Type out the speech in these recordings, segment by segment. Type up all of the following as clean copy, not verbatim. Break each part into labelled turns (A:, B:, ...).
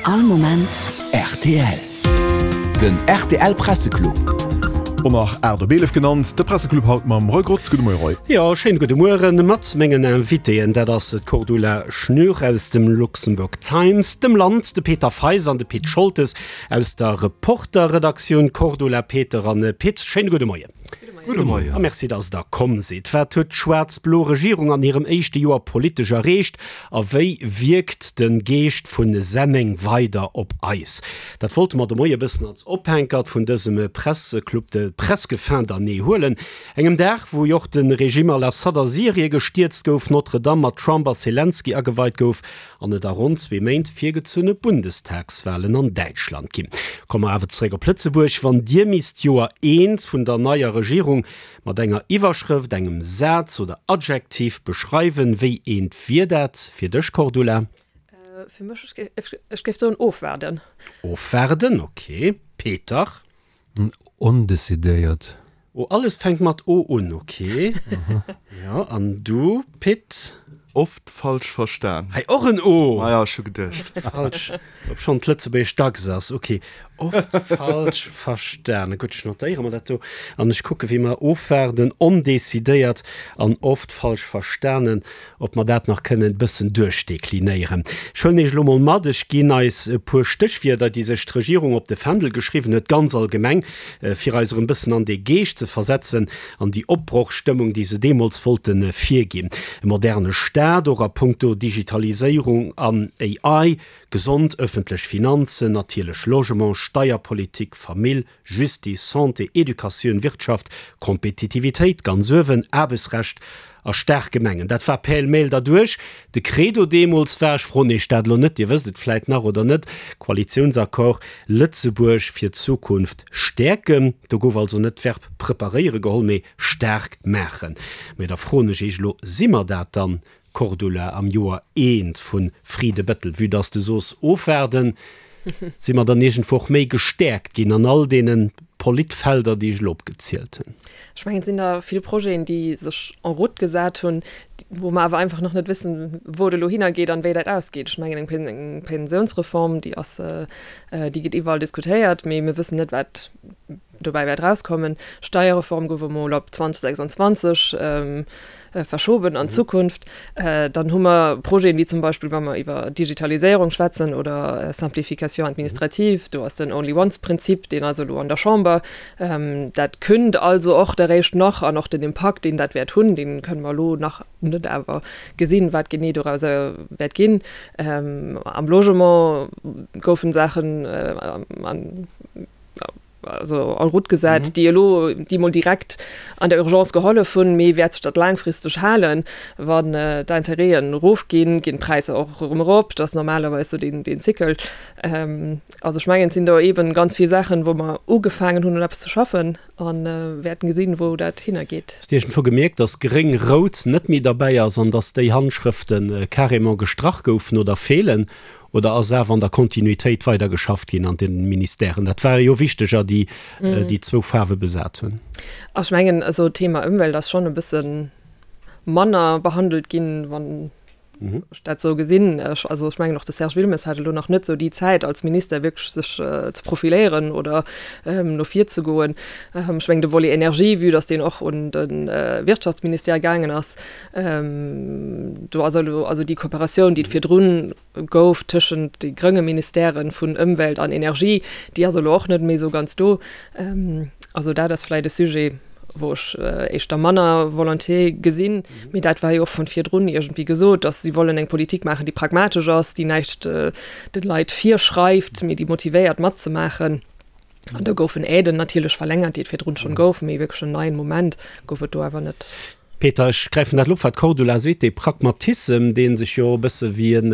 A: All Moment rtl. Den rtl Presseclub.
B: Och nach 8 op 11 genannt, de Presseclub haut mam Roy Grotz. Gudde Moie Roy.
C: Jo, schéine gudde Mueren mat mengen Invitéen. Dat ass d'Cordula Schnür aus dem Luxembourg Times, dem Land, de Peter Feis an de Pit Scholtes aus der Reporter-Redaktioun. Cordula, Peter an Pit, schéine gudde Moien.
B: Gudde Moien.
C: A merci, dass Der komm sidd. Wat huet d'schwaarz-blo Regierung an hirem éischte Joer politesch erreecht a wéi wierkt de Geescht vu Senneng weider op eis? Dat wollte mer de Moie bëssen als Ophänkert vun dësem Presseclub de presque fin d'année huelen. Engem Dag, wou jo och de Regime al-Assad a Syrie gestierzt gouf, Notre-Dame mat Trump a Selenskyj ageweit gouf an et a ronn zwee Méint virgezunne Bundestagswalen an Däitschland ginn. Komme mer awer zeréck op Lëtzebuerg. Wann Dir misst d'Joer eent vun der neier Regierung mat enger Iwwerschrëft, engem Saz oder Adjektiv beschreiwen, wéi eent wier dat fir dech, Cordula?
D: Fir mech, ech géif soen ofwaarden.
C: Ofwaarden, ok. Peter?
E: Ondecidéiert.
C: Oh, alles fänkt mat O un, ok. Jo, an du, Pit?
F: Oft falsch verstan.
C: Hei, och en O!
F: Maja, ech hu geduecht.
C: Oft falsch, obschonn d'Lëtzebuergesch dacks ass, ok. Oft falsch verstanen. Gutt, ech notéiere mer dat do an ech kucke wéi mer ofwaarden, ondecidéiert an oft falsch verstanen. Ob mer dat nach kënnen e bëssen duerchdeklinéieren. Ech huelen Iech elo mol mat, ech ginn eis e puer Stéchwierder, déi sech d'Regierung op de Fändel geschriwwen huet, ganz allgemeng, fir eis erëm bëssen an dee Geescht ze versetzen, an déi Opbrochstëmmung, déi se deemools wollte virginn. E moderne Staat, och a puncto Digitaliséierung an AI, gesond ëffentlech Finanzen, natierlech Logement, Steierpolitik, Famill, Justice, Santé, Educatioun, Wirtschaft, Kompetitivitéit, ganz uewen, Aarbechtsrecht a staark Gemengen. Dat war pêle-mêle derduerch. De Credo deemools war, ech froen Iech dat elo net, Dir wësst et vläit nach oder net, Koalitiounsaccord, Lëtzebuerg fir d'Zukunft stäerken. Do gouf also net d'Verb preparéiere geholl, mee staark maachen. Mee da froen ech Iech elo, Si mer dat dann, Cordula am Joer eent vu Fridebëttel, vue dass de soos ofwaarden, si mer dann iergendwou och méi gestäerkt ginn an all deene Politfelder, déi ech elo opgezielt hunn.
D: Ech mengen, et sinn der vill Projeten, déi sech en route gesat hunn, wou mer awer einfach nach net wëssen, wou et elo hinnergeet an wéi dat ausgeet. Ech mengen, eng Pensiounsreform, déi ass, déi gëtt iwwerall diskutéiert, mee mir wëssen net, wat dobäi wäert erauskommen. Steierreform gouf emol op 2026 verschoben an d'Zukunft. Dann hu mer Projeten, wéi zum Beispill, wa mer iwwer Digitaliséierung schwätzen oder Simplification administrative, do ass den Only-once-Prinzip, deen ass elo an der Chamber. Dat kënnt also och eréischt nach an och den Impakt, deen dat wäert hunn, dee kënne mer elo nach net awer gesinn, wat genee dorauser wäert ginn. Am Logement goufen Saachen an. also en route gesat, mhm. déi elo déi mol direkt an der Urgence gehollef hunn, mee wäert sech dat laangfristeg halen, wann äh, d'Intérêten erofginn, ginn d'Präisser och erëm erop, dat ass normalerweis sou den, den Zykel. Ähm, also ech mengen, et sinn do eben ganz vill Saachen, wou mer ugefaangen hunn un eppes ze schaffen an äh, wäerten gesinn, wou dat hinnergeet.
C: Hues de iergendwou gemierkt, dass gréng-rout net méi derbäi ass an dass déi Handschrëften carrément gestrach goufen oder feelen? Oder ass awer an der Kontinuitéit weider geschafft ginn an de Ministèren? Dat ware jo wichteger, déi déi zwou Faarwe besat hunn.
D: Ech mengen, also d'Thema Ëmwelt ass schonn e bësse manner behandelt ginn, wann ech dat esou gesinn. Ech, also ech mengen och de Serge Wilmes hat elo nach net esou déi Zäit als Minister wierklech sech ze profiléieren oder no vir ze goen. Ech mengen de Volet Energie, vue datt deen och un de Wirtschaftsministère gaangen ass, Do ass elo also déi Kooperatioun, déi et virdrun gouf tëschent de grënge Ministèren vun Ëmwelt an Energie, déi ass elo och net méi esou ganz do. Also dat ass vläicht e Sujet, wou ech éischter manner Volonté gesinn. Mee dat war jo och vun virdrun iergendwéi gesot, datt si wollen eng Politik maachen, déi pragmatesch ass, déi näischt de Leit virschreift, mee déi motivéiert matzemaachen. An do goufen Aiden natierlech verlängert, déi et virdrun schonn gouf, mee wierklech en neien Moment gouf et do awer net.
C: Peter, ech gräifen dat elo op, wat d'Cordula seet, dee Pragmatissem, dee sech jo e bësse wéi en,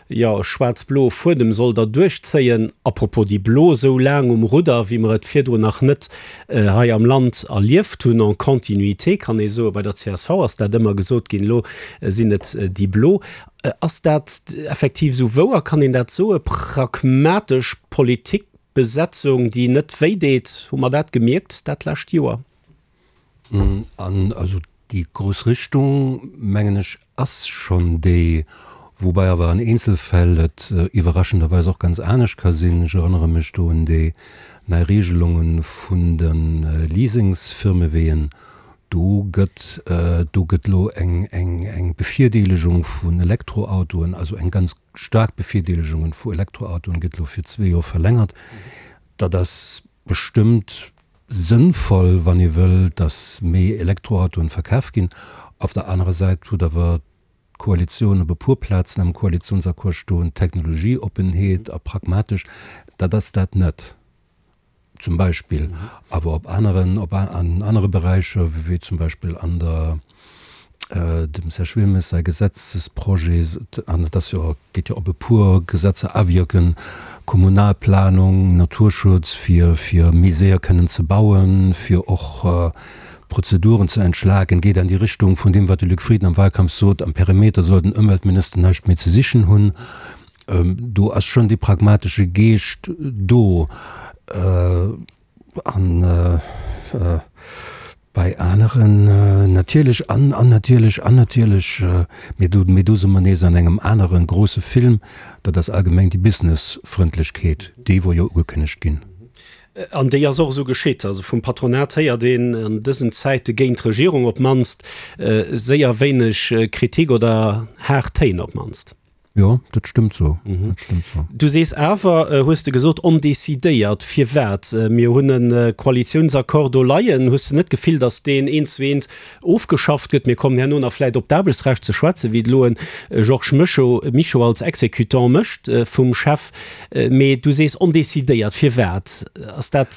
C: jo, e schwaarz-bloe Fuedem soll der duerchzéien, à propos déi Blo esou laang um Rudder, wéi mer et virdrun nach net hei am Land erlieft hunn, en continuité kann ee soen, bei der csv ass dat ëmmer gesot ginn, elo sinn et déi Blo. Ass dat effektiv esou wouer? Kann een dat soen? Pragmatesch Politikbesetzung, déi net wéi deet, hu mer dat gemierkt dat lescht Joer?
E: An also déi grouss Richtung, mengen ech, ass schonn déi. Woubäi awer an Eenzelfäll et iwwerraschenderweis och ganz anescht ka sinn. Ech erënnere mech do un déi nei Regelunge vun de Leasingsfirmeween. Do gëtt, do gëtt elo eng, eng, eng Bevirdeelegung vun Elektroautoen, also eng ganz staark Bevirdeelegunge vu Elektroautoen gëtt elo fir zwee Joer verlängert. Dat ass bestëmmt sënnvoll, wann ee wëll, datt méi Elektroautoen verkaf ginn. Op der anerer Säit huet awer d'Koalitioun op e puer Plazen am Koalitionsaccord stoen, Technologieoppenheet a pragmatesch, dat ass dat net zum Beispill, awer op aneren, op an anere Beräicher, wéi zum Beispill an der, dem Serge Wilmes säi Gesetzesprojet, an et ass jo, geet jo op e puer Gesetzer awierken, Kommunalplanung, Naturschutz, fir, fir méi séier kënnen ze bauen, fir och Prozeduren ze entschlaken, geet an déi Richtung vun deem, wat de Luc Frieden am Wahlkampf sot, am Perimeter soll den Ëmweltminister näischt méi ze sichen hunn. Do ass schonn dee pragmatesche Geescht do. An bei aneren natierlech, an an natierlech, an natierlech, mee do, mee do si mer nees an engem anere grouse Film, dat ass allgemeng déi Businessfrëndlechkeet, déi wor jo ugekënnegt ginn.
C: An déi ass och esou geschitt. Also vum Patronat héiert een an dësen Zäite géint d'Regierung op d'mannst séier wéineg Kritik oder haart Téin op d'mannst.
E: Jo, dat stëmmt sou. Dat stëmmt
C: sou. Du sees awer, hues de gesot, ondecidéiert. Firwat? Mir hunn e Koalitiounsaccord do leien. Hues de net d'Gefill, datt deen eent zu eent ofgeschafft gëtt? Mir kommen herno nach vläicht op d'Aarbechtsrecht ze schwätzen, wéi et elo e Georges Mischo als Exécutant mécht vum Chef. Mee du sees ondecidéiert. Firwat ass dat?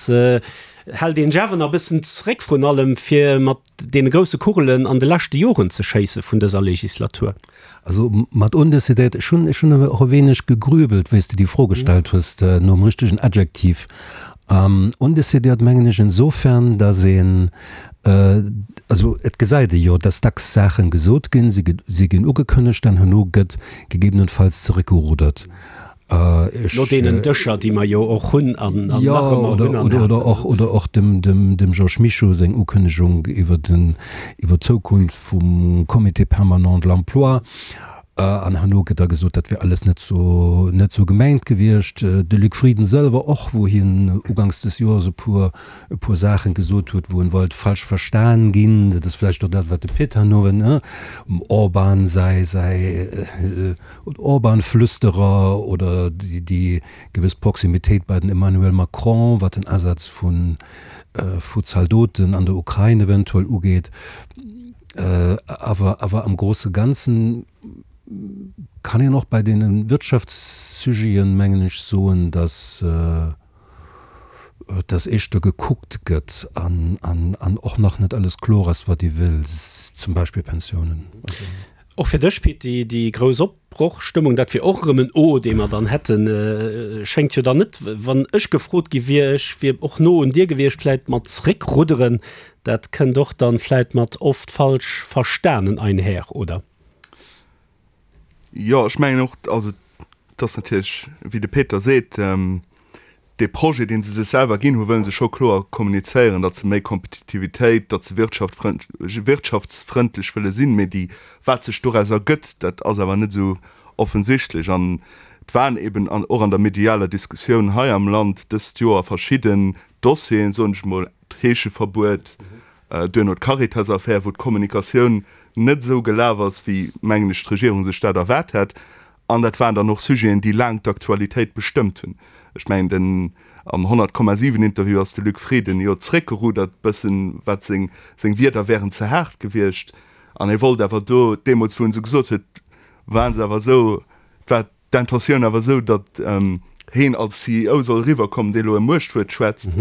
C: Hält een sech awer nach e bëssen zréck, vrun allem fir mat deene grousse Kugelen an de leschte Joren ze schéisse vun dëser Legislatur?
E: Also mat ondecidéiert, ech hunn, ech hunn och e wéineg gegrübelt, wéi s de déi Fro gestallt hues, nom richtegen Adjektiv. Ondecidéiert mengen ech insofern, datt een, also et gesäit ee jo, datt dacks Saache gesot ginn, si ginn ugekënnegt an herno gëtt gegebenenfalls zeréckgerudert.
C: No deenen Dëscher, déi mer jo och hunn an nach ëmmer hunn
E: an haten. Oder och dem Georges Mischo seng Ukënnegung iwwer d'Zukunft vum Comité permanent de l'emploi. An herno gëtt da gesot, dat wier alles net esou gemengt gewiescht. De Luc Frieden sëlwer och, wou hien uganks des Joers e puer Saachen gesot huet, wou en wollt falsch verstan ginn. Dat ass vläicht och dat, wat de Pit herno, dem Orban säi Orban-Flüsterer oder déi gewëss Proximitéit bei den Emmanuel Macron, wat den Asaz vu Zaldoten an der Ukrain eventuell ugeet. Awer awer am grouse Ganzen kann een och bei deene Wirtschaftssujeten, mengen ech, soen, datt datt éischter gekuckt gëtt an an och nach net alles kloer ass, wat ee wëll, zum Beispill Pensiounen.
C: Och fir dech, Pit, déi, déi grouss Opbrochstëmmung, dat wier och erëm en O, dee mer dann hätten, schéngt jo dann net, wann ech gefrot gi wier, ech wier och no un dir gewiescht, vläit mat zréckrudderen. Dat kënnt och dann vläit mat oft falsch verstanen einher, oder?
F: Jo, ech mengen och, also et ass natierlech, wéi de Peter seet, dee Projet, dee se sech selwer ginn hunn, wëlle se scho kloer kommunizéieren, datt se méi Kompetitivitéit, datt se wirtschaftsfrëndlech wëlle sinn. Mee déi, wat sech doraus ergëtt, dat ass awer net esou offensichtlech. An et waren eben och an der medialer Diskussioun hei am Land dëst Joer verschidden Dossieren, soen ech emol, d'Heescheverbuet, duerno d'Caritas-Affär, wou d'Kommunikatioun net esou gelaf ass, wéi, mengen ech, d'Regierung sech dat erwaart hätt. An dat waren dann och Sujeten, déi laang d'Aktualitéit bestëmmt hunn. Ech mengen, den, am 100,7 Interview ass de Luc Frieden jo zréckgerudert bëssen, wat seng, seng Wierder wären ze haart gewiescht. An hie wollt awer do, deemools wou en se gesot huet, waren se awer esou, war d'Intentioun awer esou, datt heen als CEO soll eriwwerkommen, dee elo e Muechtwuert schwätzt.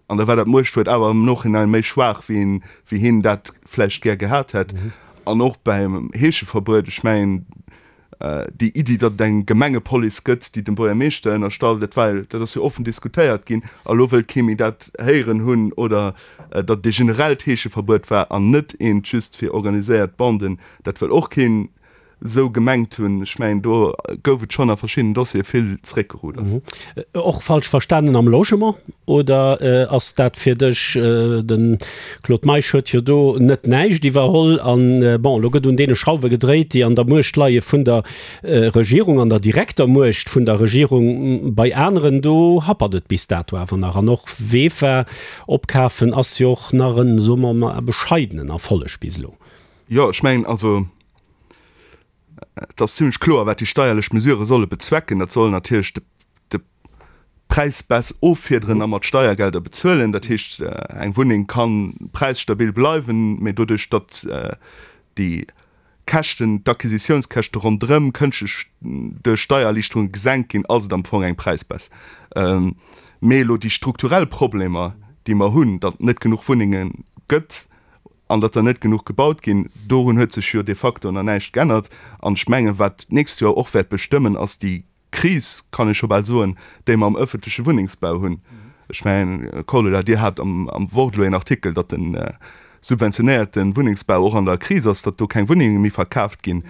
F: An da war dat Muechtwuert awer am Nachhinein méi schwaach, wéi een, wéi hien dat vläicht gär gehat hätt. An och beim Heescheverbuet, ech mengen, déi Iddi, datt et eng Gemengepolice gëtt, déi dem Buergermeeschter ënnerstallt, dat war, dat ass jo offen diskutéiert ginn. A lo wëllt kee méi dat héieren hunn. Oder datt et ee generellt Heescheverbuet war an net eent just fir organiséiert Banden, dat wëll och keen. Esou gemengt hunn. Ech mengen, do gouf et schonn a verschiddenen Dossiere vill Zeréckgeruders.
C: Och falsch verstanen am Logement, oder ass dat fir dech, de Claude Meisch huet jo do net näischt iwwerholl an, bon, elo gëtt un deene Schrauwe gedréit, déi an der Muecht leie vun der Regierung, an der direkter Muecht vun der Regierung. Bei aneren, do happert et bis dato awer nach. An och Vefa opkafen ass jo och nach en, soe mer emol, bescheidenen Erfolleg bis elo.
F: Jo, ech mengen, also et ass zimlech kloer, wat déi steierlech Mesurë solle bezwecken. Dat soll natierlech de de Präisbaisse offiederen a mat Steiergelder bezuelen. Dat heescht, eng Wunneng ka präisstabil bleiwen, mä doduerch, datt déi Käschten, d'Acquisitiounskäschte ronderëm kënschtlech duerch Steiererliichterunge gesenkt ginn, ass et am Fong eng Präisbaisse. Mee elo déi strukturell Problemer, déi mer hunn, datt et net genuch Wunnenge gëtt, an datt der net genuch gebaut ginn, dorun huet sech jo de facto nach näischt geännert. An ech mengen, wat d'nächst Joer och wäert bestëmmen, ass déi Kris, kann ee scho bal soen, déi mer am ëffentleche Wunnengsbau hunn. Ech mengen, Cordula, Dir hat am Wort elo een Artikel, datt de subventionéierte Wunnengsbau och an der Kris ass, datt do keng Wunnenge méi verkaaft ginn.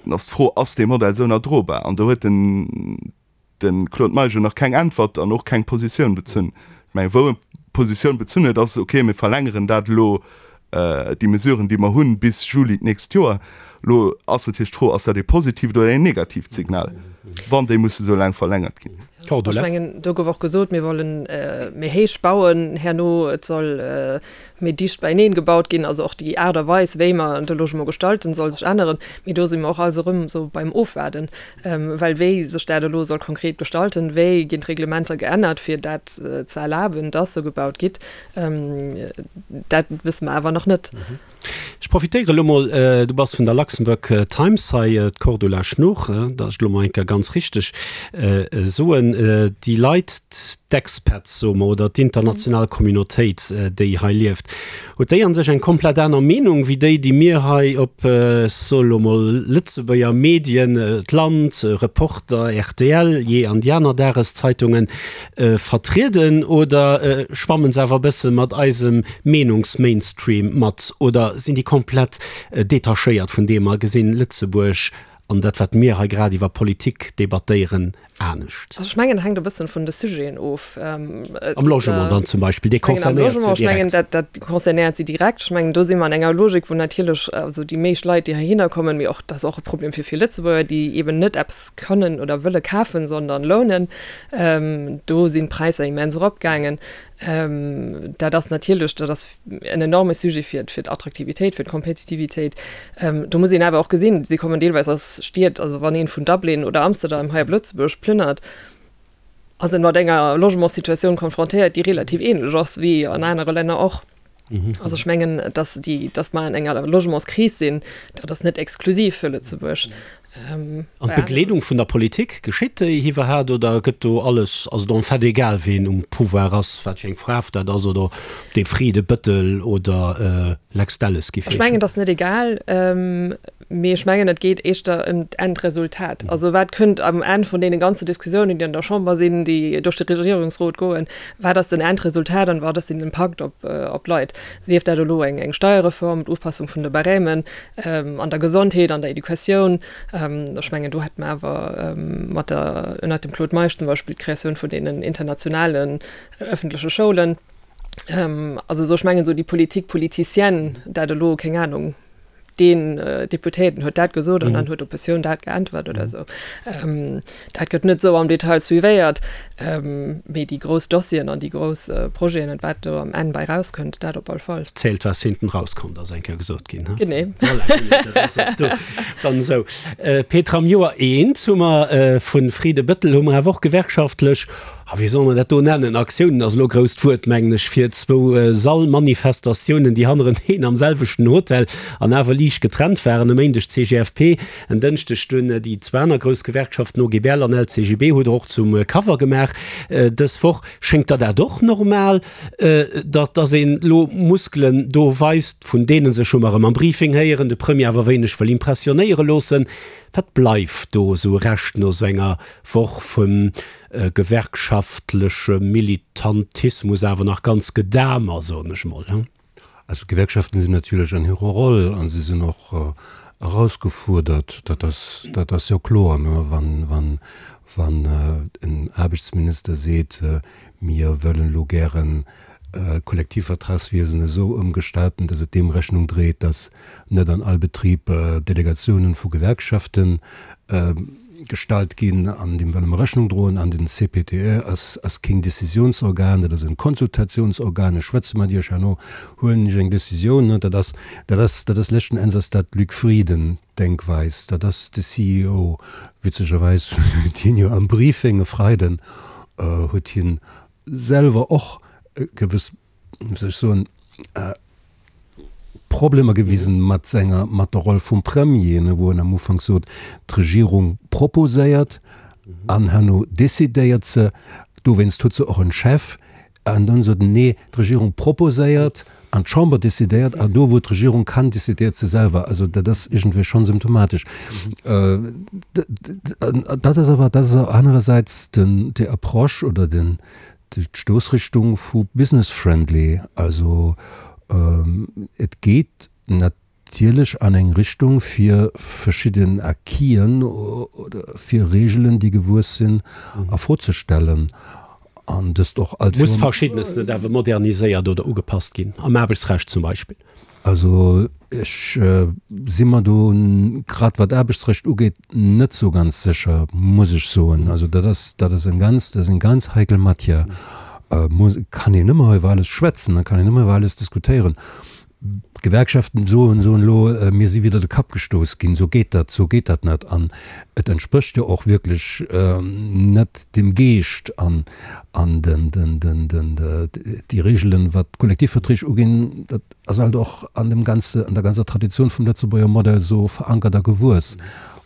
F: Dann ass d'Fro, Ass dee Modell esou nach drobar? An do huet den. De Claude Meisch huet nach keng Äntwert an och keng Positioun bezunn. Ech mengen, wou e Positioun bezunn huet, ass, okay, mir verlängeren dat elo, déi Mesuren, déi mer hunn, bis Juli d'nächst Joer. Elo ass natierlech d'Fro, Ass dat ee positiivt oder een negatiivt Signal, wann déi musse sou laang verlängert ginn?
D: Ech mengen, do gouf och gesot, mir wollen méi héich bauen herno, et soll méi dicht beieneen gebaut ginn. Also och déi Aart a Weis, wéi mer de Logement gestalten, soll sech änneren. Mee do si mer och alles erëm esou beim Ofwaarden. Well wéi sech dat elo soll konkret gestalten, wéi ginn d'Reglementer geännert, fir dat ze erlaben, dass sou gebaut gitt, dat wësse mer awer nach net.
C: Ech profitéiere elo mol, du bass vun der Luxembourg Times hei, d'Cordula Schnuch, datt ech elo mol eng Kéier ganz richteg soen, déi Leit, d'Expats, soe mer, oder d'international Communautéit, déi hei lieft, Huet déi an sech eng komplett aner Meenung wéi déi, déi mir hei op, ech soe lo mol, Lëtzebuerger Medien, d'Land, Reporter, rtl, jee an déi aner Dageszeitungen, vertrieden? Oder schwammen se awer e bësse mat eisem Meenungsmainstream mat? Oder sinn déi komplett detachéiert vun deem a gesinn Lëtzebuerg an dat, wat mir hei grad iwwer Politik debattéieren, anescht?
D: Also ech mengen, et hänkt e bëssen vun de Sujeten of.
C: Am Logement dann zum Beispill, dee concernéiert
D: se direkt. Ech mengen, dat, dat concernéiert si direkt. Ech mengen, do si mer an enger Logik, wou natierlech also déi meescht Leit, déi heihinner kommen, mee och, dat ass och e Problem fir vill Lëtzebuerger, déi eeben net eppes kënnen oder wëlle kafen, sondern lounen, do sinn d'Präisser immens eropgaangen. Dat ass natierlech, dat ass en enorme Sujet fir fir d'Attraktivitéit, fir d'Kompetitivitéit. Do muss een awer och gesinn, si kommen deelweis aus Stied, also wann een vun Dublin oder Amsterdam hei op Lëtzebuerg plënnert, ass en mat enger Logementssituatioun konfrontéiert, déi relativ ähnlech ass wéi an anere Länner och. Also ech mengen, dass déi, dass mer an enger Logementskris sinn, dat ass net exklusiv fir Lëtzebuerg.
C: An d'Begleedung vun der Politik, geschitt déi iwwerhaat oder gëtt do alles, ass et en fait egal ween um Pouvoir ass, wat fir eng Faarf dat ass oder ob dee Frieden, Bëttel oder Lex Delles
D: giff heeschen? Ech mengen et ass net egal, mee ech mengen et geet éischter ëm d'Endresultat. Also wat kënnt am Enn vun deene ganze Diskussiounen, déi an der Chamber sinn, déi duerch de Regierungsrot goen, wat ass den Endresultat an wat ass den Impakt op d'Leit? Sief dat elo eng Steierreform, d'Upassung vun de Barèmen, an der Gesondheet, an der Educatioun. Ech mengen, do hätte mer awer mat der, ënnert dem Claude Meisch zum Beispill, d'Kreatioun vun deenen internationalen öffentleche Schoulen. Also esou, ech mengen, esou déi Politique politicienne, dat elo, keng Anung, deen Deputéierten huet dat gesot an dann huet d'Oppositioun dat geäntwert oder esou, dat gëtt net esou am Detail suivéiert. Mee déi grouss Dossieren an déi grouss Projeten an wat do am Enn bei rauskënnt, dat op all Fall.
C: Et zählt, was hinten rauskommt, ass eng Kéier gesot ginn, he?
D: Genee. Voilà, genee, dat
C: ass och do dann esou. Petra, am Joer eent hu mer vu Friede Bëttel hu mer awer och gewerkschaftlech, a wéi soll mer dat do nennen, Aktiounen ass elo e grousst Wuert, mengen ech, fir zwou Sallmanifestatiounen, déi hannereneen am selwechten Hotel an awer liicht getrennt waren, e Méindeg CGFP, En Dënschdeg dunn déi zwou aner grouss Gewerkschaften, OGBL an LCGB, hutt Der och zum Cover gemaach dës Woch. Schéngt der dat och normal, datt datt een elo Muskelen do weist, vun deene sech, hu mer erëm am Briefing héieren, de Premier awer wéineg wëll impressionéiere loossen? Wat bleift do esou Rescht no esou enger Woch vum gewerkschaftleche Militantismus awer nach ganz gedamer, soen ech mol?
E: Also d'Gewerkschaften sinn natierlech an hirer Roll a si sinn och. Erausgefuerdert, dat ass, dat ass jo kloer, ne, wann, wann, wann en Aarbechtsminister seet, mir wëllen elo gären d'Kollektivvertragswiesen esou ëmgestalten, dass et deem Rechnung dréit, dass net an all Betrib Delegatiounen vu Gewerkschaften gestallt ginn, an deem wëlle mer Rechnung droen. An den CPTE ass, ass keen Décisionsorgan, dat ass en Konsultationsorgan. Ech schwätze mat Iech, herno huelen ech eng Décisioun. Dat ass, dat ass, dat ass leschten Enns ass dat Luc Frieden Denkweis, dat ass de CEO. Witzegerweis huet hien jo am Briefing e Freiden huet hien selwer och gewëss, wéi soll ech soen, Problemer gewisen mat senger, mat der Roll vum Premier, ne, wou en am Ufank sot, d'Regierung proposéiert an herno decidéiert se, dowéinst huet se och en Chef, an dann sot en, nee, d'Regierung proposéiert an d'Chamber decidéiert, an do wou d'Regierung kann, decidéiert se selwer. Also dat ass iergendwéi schonn symptomatesch. Dat ass awer, dat ass awer anerersäits den, déi Approche oder den, D'Stoussrichtung vu business friendly, also et geet natierlech an eng Richtung fir verschidden Acquisen oder fir Regeln, déi gewuess sinn, a Fro ze stellen an dëst och
C: alt Muss Verschiddenes net awer moderniséiert oder ugepasst ginn, am Aarbechtsrecht zum Beispill?
E: Also ech si mer do, grad wat d'Aarbechtsrecht ugeet, net esou ganz sécher, muss ech soen. Also dat ass, dat ass eng ganz, dat ass eng ganz heikel Matière. Muss, kann een ëmmer iwwer alles schwätzen, da kann een ëmmer iwwer alles diskutéieren. D'Gewerkschaften soen, soen elo, mir si widder de Kapp gestouss ginn, esou geet dat, esou geet dat net. An et entsprécht jo och wierklech net dem Geescht an an den, den, den, den, déi Regelen, wat d'Kollektivverträg uginn, dat ass halt och an dem ganze, an der ganzer Tradition vum Lëtzebuerger Modell esou verankert a gewuess.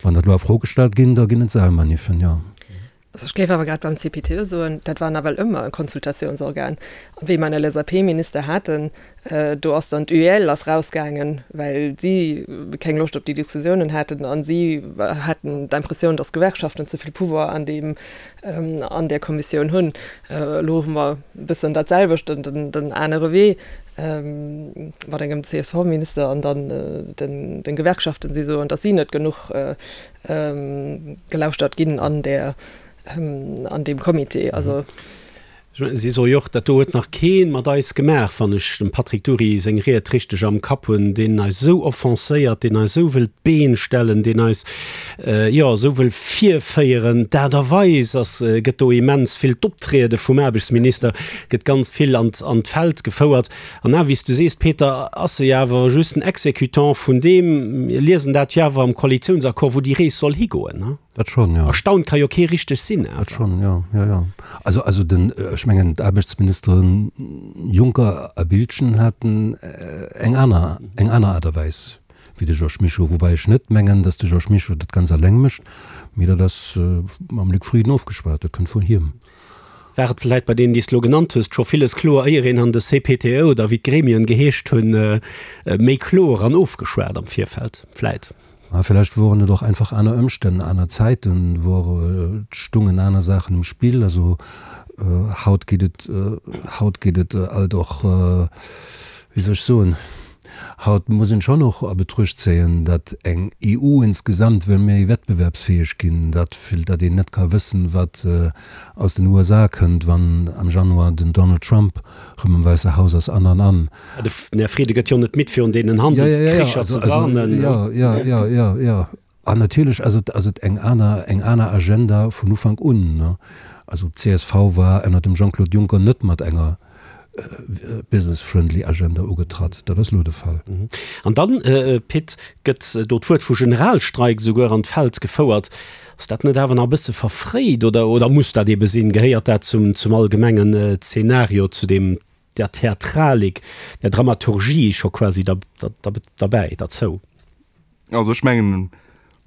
E: Wann dat elo a Fro gestallt ginn, da ginn et Saalmaniffen, jo.
D: Also ech géif awer grad beim CPTE soen, dat war nawell ëmmer e Konsultatiounsorgan. An wéi mer en LSAP-Minister haten, Do ass dann d'UEL ass rausgaangen, well si keng Loscht op déi Diskussiounen haten a si haten d'Impressioun, datt d'Gewerkschaften ze vill Pouvoir an deem, an där Kommissioun hunn. Elo hu mer e bëssen dat selwecht, den anere Wee mat engem CSV-Minister an dann de Gewerkschaften, si soen, datt si net genuch gelauschtert ginn an där, an deem Comité. Also.
C: Si soe jo och, dat do huet nach kee mat eis gemaach, wann ech dem Patrick Dury seng Ried richteg am Kapp hunn, deen eis esou offenséiert, deen eis esou wëll d'Been stellen, deen eis, jo, esou wëll virféieren. D'Aart a Weis ass, gëtt do immens vill, d'Optriede vum Aarbechtsminister gëtt ganz vill an an d'Feld gefouert. An awer, wéi s du sees, Peter, ass e jo awer just en Exécutant vun deem, mir liesen dat jo awer am Koalitiounsaccord, wou déi Rees soll higoen.
E: Dat schonn, jo.
C: Erstaunt ka jo kee richteg sinn,
E: awer. Dat schonn, jo, jo, jo. Also, also den, ech mengen, d'Aarbechtsministeren Juncker a Biltgen haten eng aner, eng aner Aart a Weis wéi de Georges Mischo. Woubäi ech net mengen, datt de Georges Mischo dat ganz alleng mécht, mee dat ass mam Luc Frieden ofgeschwat, dat kënnt vun hiem.
C: War et vläit bei deenen, déi s de elo genannt hues, scho villes kloer, éier een an de CPTE oder wéi d'Gremien geheescht hunn, méi kloer an ofgeschwat am Virfeld vläit?
E: Mä villäicht woren et och einfach aner Ëmstänn, aner Zäiten, wor et stungen aner Saachen um Spill. Also haut geet et, haut geet et alt och, wéi soll ech soen, haut muss een schonn och a Betruecht zéien, datt eng EU insgesamt wëll méi wettbewerbsfäeg ginn, datt datt een net ka wëssen, wat aus den USA kënnt, wann am Januar den Donald Trump rëm am Wäisse Haus ass an an an.
C: Den Här Frieden gëtt jo net midd virun deenen Handelskricher ze warnen.
E: Jo, jo, jo, jo, jo. An natierlech ass et, ass et eng aner, eng aner Agenda vun Ufank un. Also d'CSV war ënner dem Jean-Claude Juncker net mat enger business-friendly Agenda ugetratt. Dat ass elo de Fall.
C: An dann, Pit, gëtt do d'Wuert vu Generalstreik esouguer an d'Feld gefouert. Ass dat net awer nach e bësse verfréit oder, oder muss dat eebe sinn? Gehéiert dat zum, zum allgemengen Zeenario, zu deem der Theatralik, der Dramaturgie scho quasi derbäi, derzou?
F: Also ech mengen,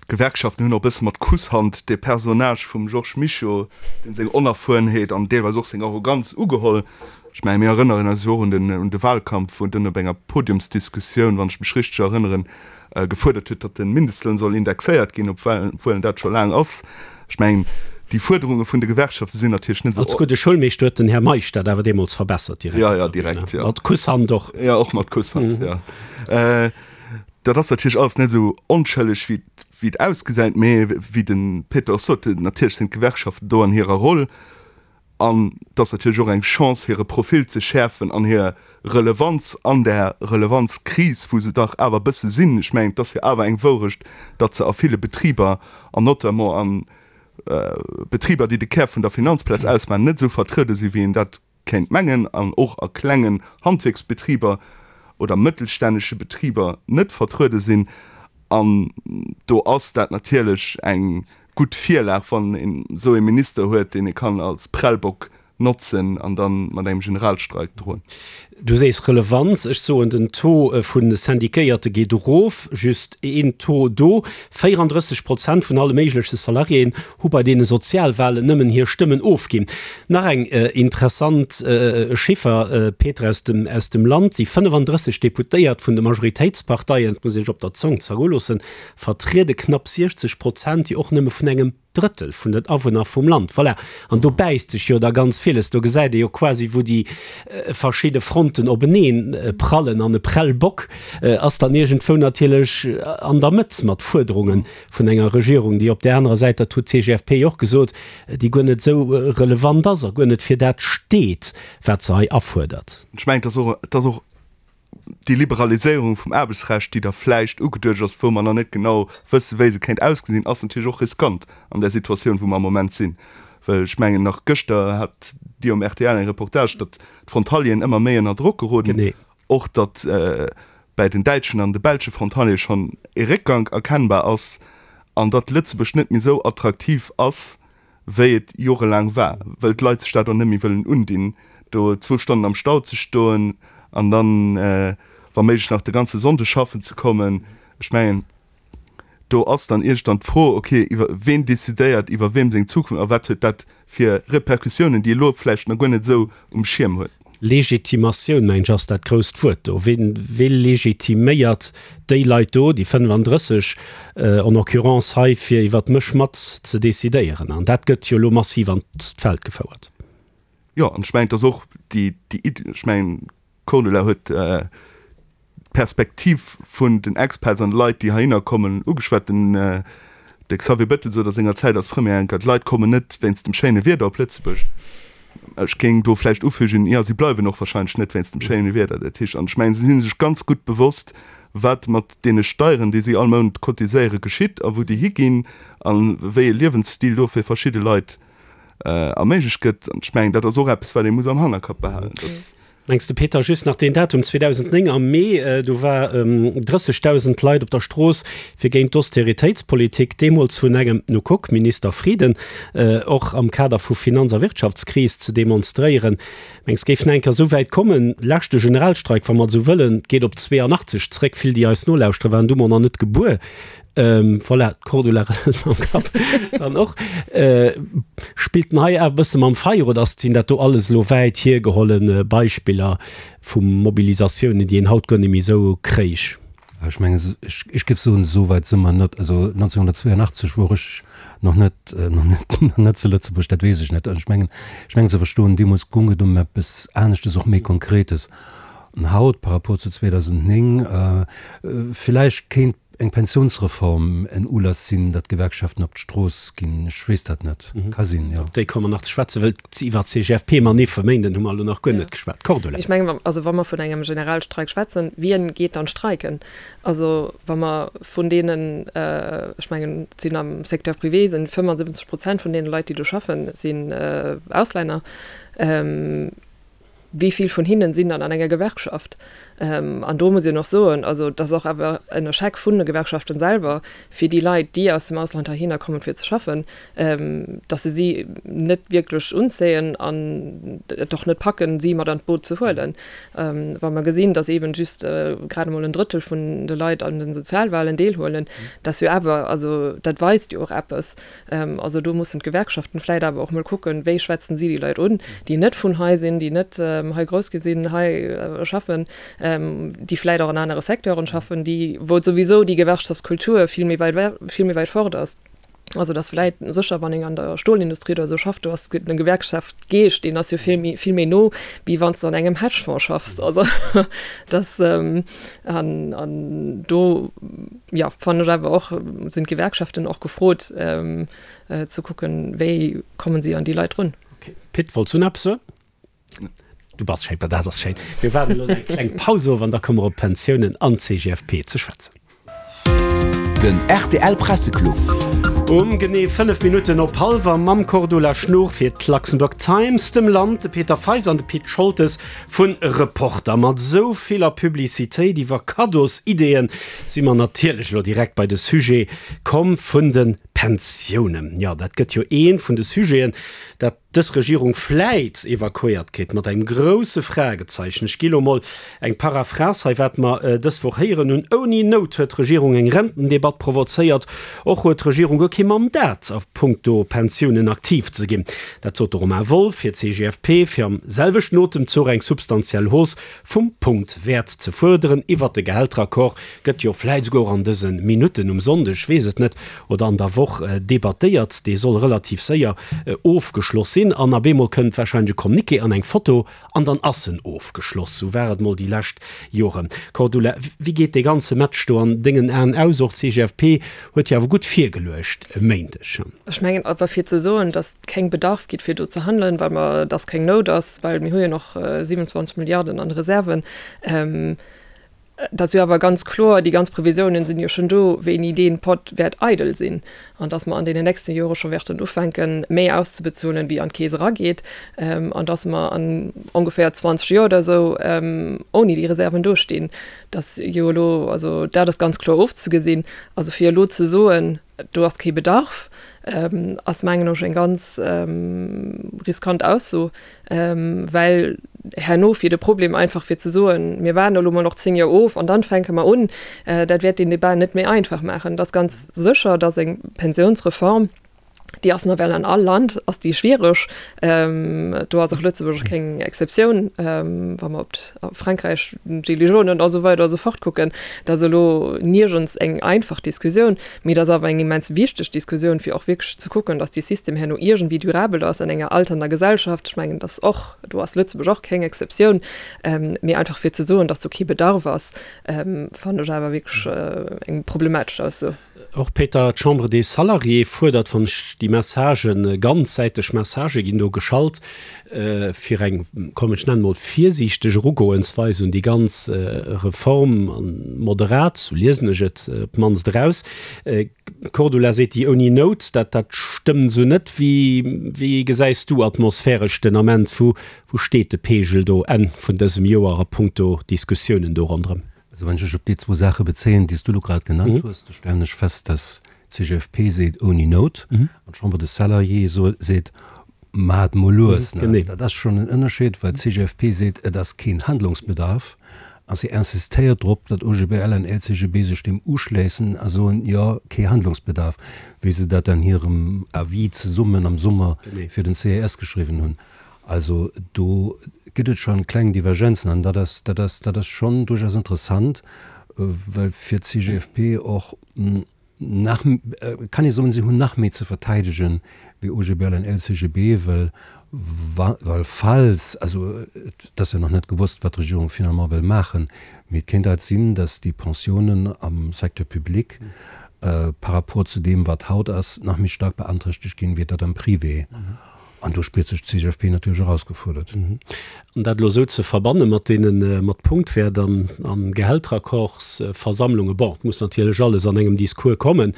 F: d'Gewerkschaften hunn och e bësse mat Kusshand dee Personnage vum Georges Mischo, deem seng Onerfuerenheet an deelweis och seng Arroganz ugeholl. Ech mengen, mir erënneren eis jo och un den, un de Wahlkampf, wou en dunn op enger Podiumsdiskussioun, wann ech mech richteg erënneren, gefuerdert huet, datt de Mindestloun soll indexéiert ginn, obwuel en dat scho laang ass. Ech mengen, déi Fuerderunge vun de Gewerkschafte sinn natierlech net
C: esou. Als gudde Schoulmeeschter huet den Här Meisch dat awer deemools verbessert
F: direkt. Jo, jo, direkt, jo.
C: Mat Kusshand och.
F: Jo, och mat Kusshand, jo. Dat ass natierlech alles net esou onschëlleg, wéi wéi et ausgesäit, mee wéi de Péter och sot, natierlech sinn d'Gewerkschaften do an hirer Roll an et ass natierlech och eng Chance, hire Profil ze schäerfen an hir Relevanz an där Relevanzkris, wou se dach awer e bësse sinn, ech mengen, et ass jo awer eng Wourecht, datt se a ville Betriber an notamment a Betriber, déi de Kär vun der Finanzplaz ausmaachen, net esou vertruede sinn, wéi een dat kéint mengen, an och a klengen Handwierksbetriber oder mëttelstännege Betriber net vertruede sinn. An do ass dat natierlech eng gutt Virlag, wann een esou ee Minister huet, deen ee kann als Prellbock notzen an da mat engem Generalstreik droen.
C: Du sees Relevanz, ech soen den Taux vu Syndiquéierte geet erof, just een Taux do, 34 Prozent vun alle méigleche Salariéen hu bei deene Sozialwahlen nëmmen hir Stëmmen ofginn. Nach eng interessant Chiffer, Peter, aus dem aus dem Land, déi 35 Deputéiert vun de Majoritéitsparteien, et muss ee sech op der Zong zergoe loossen, vertriede knapp 60 Prozent, déi och nëmme vun engem Drëttel vun den Awunner vum Land. Voilà. An do bäisst sech jo da ganz villes. Do gesäit ee jo quasi, wou déi verschidde Fronten openeen prallen. An e Prellbock ass dann iergendwou natierlech an der Mëtt mat Fuerderunge vun enger Regierung, déi op där anerer Säit, dat huet d'CGFP jo och gesot, déi guer net esou relevant ass a guer net fir dat steet, wat se hei afuerdert.
F: Ech mengen, et ass och, et ass och déi Liberaliséierung vum Aarbechtsrecht, déi da vläicht ugeduecht ass, wou mer nach net genau wëssen, wéi se kéint ausgesinn, ass natierlech och riskant an där Situatioun, wou mer am Moment sinn. Well ech mengen, nach gëschter hat Dir um rtl eng Reportage, datt d'Frontalieren ëmmer méi ënner Drock geroden, och datt bäi den däitschen an de belsche Frontaliere schonn e Réckgank erkennbar ass an datt Lëtzebuerg net méi esou attraktiv ass, wéi et jorelaang war, well d'Leit sech dat och net méi wëllen undinn, do zwou Stonnen am Stau ze stoen an dann wa méiglech nach de ganze Sonndeg schaffen ze kommen. Ech mengen, do ass dann iergendwann d'Fro, okay, iwwer ween decidéiert iwwer weem seng Zukunft a wat huet dat fir Repercussiounen, déi ee lo vläicht nach guer net esou um Schierm huet.
C: Legitimatioun, mengen ech, ass dat grousst Wuert do. Ween, wee legitiméiert déi Leit do, déi 35 en occurrence hei, fir iwwert mech mat ze decidéieren? An dat gëtt jo elo massiv an d'Feld gefouert.
F: Jo, an ech mengen, et ass och déi, déi Iddi, ech mengen, d'Cordula huet d'Perspektiv vun den Expats an de Leit, déi heihinner kommen, ugeschwat. Den de Xavier Bettel sot a senger Zäit als Premier enker, d'Leit kommen net wéinst dem schéine Wieder op Lëtzebuerg. Ech géing do vläicht ufügen, jo, si bleiwen och wahrscheinlech net wéinst dem schéine Wieder. Dat heescht, an ech mengen, si si sech ganz gutt bewosst, wat mat deene Steieren, déi si all Mount cotiséieren, geschitt a wou déi higinn a wéi e Liewensstil do fir verschidde Leit erméiglecht gëtt. An ech mengen, dat ass och eppes, wat ee muss am Hannerkapp behalen.
C: Mengs de Peter, just nach deen Datum 2009 am Mee, do war 30.000 Leit op der Strooss fir géint d'Austeritéitspolitik, deemools vun engem, nu kuck, Minister Frieden, och am Kader vu Finanz a Wirtschaftskris ze demonstréieren. Mengs géif nach eng Kéier esou wäit kommen? Leschte Generalstreik, wa mer et esou wëllen, geet op 82 zréck, vill déi eis nolauschteren, waren du mol nach net gebuer. Voilà, d'Cordula rëselt mam Kapp dann och. Spillt en hei awer e bësse mam Feier oder ass, sinn dat do alles elo wäit hiergeholle Beispiller vu Mobilisatiounen, déi een haut guer net méi esou kréich?
E: Ech mengen, ech géif soen, esou wäit si mer net. Also 1982 wor ech nach net, nach net, nach net zu Lëtzebuerg, dat weess ech net. An ech mengen, ech mengen ze verstoen, deemools goung et ëm eppes aneschtes, och méi Konkretes. An haut, par rapport zu 2009, villäicht kéint eng Pensiounsreform en Ulass sinn, datt d'Gewerkschaften op d'Strooss ginn. Ech weess dat net. Ka sinn, jo.
C: Op déi komme mer nach ze schwätzen, well iwwer d'CGFP-Manif e Méinden hu mer elo nach guer net geschwat.
D: Cordula. Ech mengen, also wa mer vun engem Generalstreik schwätzen, wien geet dann streiken? Also wa mer vun deenen, ech mengen, et sinn am Secteur privé sinn 75 Prozent vun deene Leit, déi do schaffen, sinn Auslänner. Wéi vill vun hinnen sinn dann an enger Gewerkschaft? An do muss een och soen, also et ass och awer en Echec vun de Gewerkschaften selwer, fir déi Leit, déi aus dem Ausland heihinner kommen, fir ze schaffen, datt se si net wierklech unzéien an et och net packen, si mat an d'Boot ze huelen. Wa mer gesinn, datt eeben just grad emol en Drëttel vun de Leit an de Sozialwahlen deelhuelen, dat ass jo awer, also dat weist jo och eppes. Also do mussen d'Gewerkschaften vläit awer och mol kucken, wéi schwätzen si déi Leit un, déi net vun hei sinn, déi net hei grouss gi sinn, hei schaffen, déi vläit och an anere Secteuren schaffen, déi, wou souwisou déi Gewerkschaftskultur vill méi wäit, vill méi wäit fort ass. Also dass vläit sécher, wann een an der Stolindustrie oder esou schafft, do ass den Gewerkschaftsgeescht, deen ass jo vill méi, vill méi no, wéi wann s de an engem Hedgefonds schaffs. Also dass an, an do, jo, fannen ech awer och, sinn d'Gewerkschaften och gefrot ze kucken, wéi kommen si an déi Leit drun.
C: Okay. Pit, wollts du nach eppes soen? Du bass schéi, dat ass schéin. Mir waarden elo eng kleng Paus of an da komme mer op d'Pensiounen an d'CGFP ze schwätzen.
A: Den rtl Presseclub.
C: Um genee 5 Minutten op hallwer mam Cordula Schnuch fir d'Luxembourg Times, dem Land, de Peter Feis an de Pit Scholtes vun Reporter. Mat esou viller Publicitéit iwwer Kaddosideeën si mer natierlech elo direkt bei de Sujet komm vun de Pensiounen. Jo, dat gëtt jo ee vun de Sujeten, dat dës Regierung vläit evakuéiert kritt, mat engem grouse Fragezeichen. Ech gi lo mol eng Paraphrase hei, wat mer dës Woch héieren hunn, Ouni Nout huet d'Regierung eng Rentendebatt provozéiert. Och huet d'Regierung guer kee Mandat a puncto Pensiounen aktiv ze ginn. Dat sot de Romain Wolff fir d'CGFP, fir am selwechten Otemzuch eng substantiell Hausse vum Punktwäert ze fuerderen. Iwwert de Gehälteraccord gëtt jo vläit esouguer och an dëse Minutten um Sonndeg, ech weess et net, oder an der Woch debattéiert. Dee soll relativ séier ofgeschloss sinn an ab eemol kënnt warscheinlech e Communiqué an eng Foto an dann ass en ofgeschloss. Sou war et mol déi lescht Joren. Cordula, wéi geet dee ganze Match do an dengen Aen aus? Och d'CGFP huet jo awer gutt virgeluecht e Méindeg.
D: Ech mengen awer fir ze soen, datt et keng Bedarf gitt fir do ze handelen, well mer, datt keng Nout ass, well mir hu jo nach 27 Milliarden an de Reserven, Et ass jo awer ganz kloer, déi ganz Previsiounen sinn jo schonn do, wéini dee Pott wäert eidel sinn an dass mer an deenen nächste Jore scho wäerten ufänken, méi auszebezuelen, wéi an d'Keess erageet, an dass mer an ongeféier 20 Joer oder esou ouni déi Reserven dostinn. Dat jo elo, also dat ass ganz kloer ofzegesinn. Also fir elo ze soen, Do ass kee Bedarf, ass mengen ech eng ganz riskant Ausso, well herno fir de Problem einfach fir ze soen, mir waarden elo mol nach 10 Joer of an dann fänke mer un, dat wäert deen Debat net méi einfach maachen. Et ass ganz sécher, datt eng Pensiounsreform, déi ass nawell an all Land ass déi schwiereg, do ass och Lëtzebuerg keng Exceptioun, wa mer op Frankräich, d'Gilets jaunes a sou weider a sou fort kucken. Dat ass elo niergends eng einfach Diskussioun, mee et ass awer eng immens wichteg Diskussioun, fir och wierklech ze kucken, datt dee System herno iergendwéi durabel ass an enger alternder Gesellschaft. Ech mengen, datt och, do ass Lëtzebuerg och keng Exceptioun. Mee einfach fir ze soen, datt do kee Bedarf ass, fannen ech awer wierklech eng problematesch Ausso.
C: Och, Peter, d'Chambre des Salariés fuerdert, wann ech déi Messagen, ganzsäiteg Messagë ginn do geschalt, fir eng, komm ech nennen emol virsiichteg Erugoensweis un déi ganz Reform, moderat, sou liesen ech et op d'mannst eraus. Cordula seet déi ouni Nout, dat dat stëmmt esou net. Wéi wéi gesäis du atmosphäresch den Ament, wou wou steet de Pegel do Enn vun dësem Joer a punkto Diskussiounen do ronderëm?
E: Also wann ech mech op déi zwou Saache bezéien, déi s du elo grad genannt hues, da stellen ech fest, dass d'CGFP seet ouni Nout an d'Chambre des Salariés seet maacht mol lues. Dat ass schonn en Ënnerscheed, well d'CGFP seet, et ass keen Handlungsbedarf a si insistéiert drop, datt OGBL an LCGB sech deem uschléissen a soen, jo, kee Handlungsbedarf, wéi se dat an hirem Avis zesummen am Summer fir den CES geschriwwen hunn. Also do gëtt et schonn kleng Divergenzen an dat ass, dat ass, dat ass schonn duerchaus interessant, well fir d'CGFP och nach, kann ee soen, si hunn nach méi ze verteidegen wéi OGBL an LCGB, well wa, well falls, also et ass jo nach net gewosst, wat d'Regierung finalement wëll maachen, mee et kéint halt sinn, datt déi Pensiounen am Secteur public par rapport zu deem wat haut ass, nach méi staark beanträchtegt ginn, wéi dat am Privé. An do spiert sech d'CGFP natierlech erausgefuerdert.
C: An dat elo esou ze verbanne mat deene mat Punktwäert an a Gehälteraccordsversammlungen, bon, et muss natierlech alles an engem Discours kommen,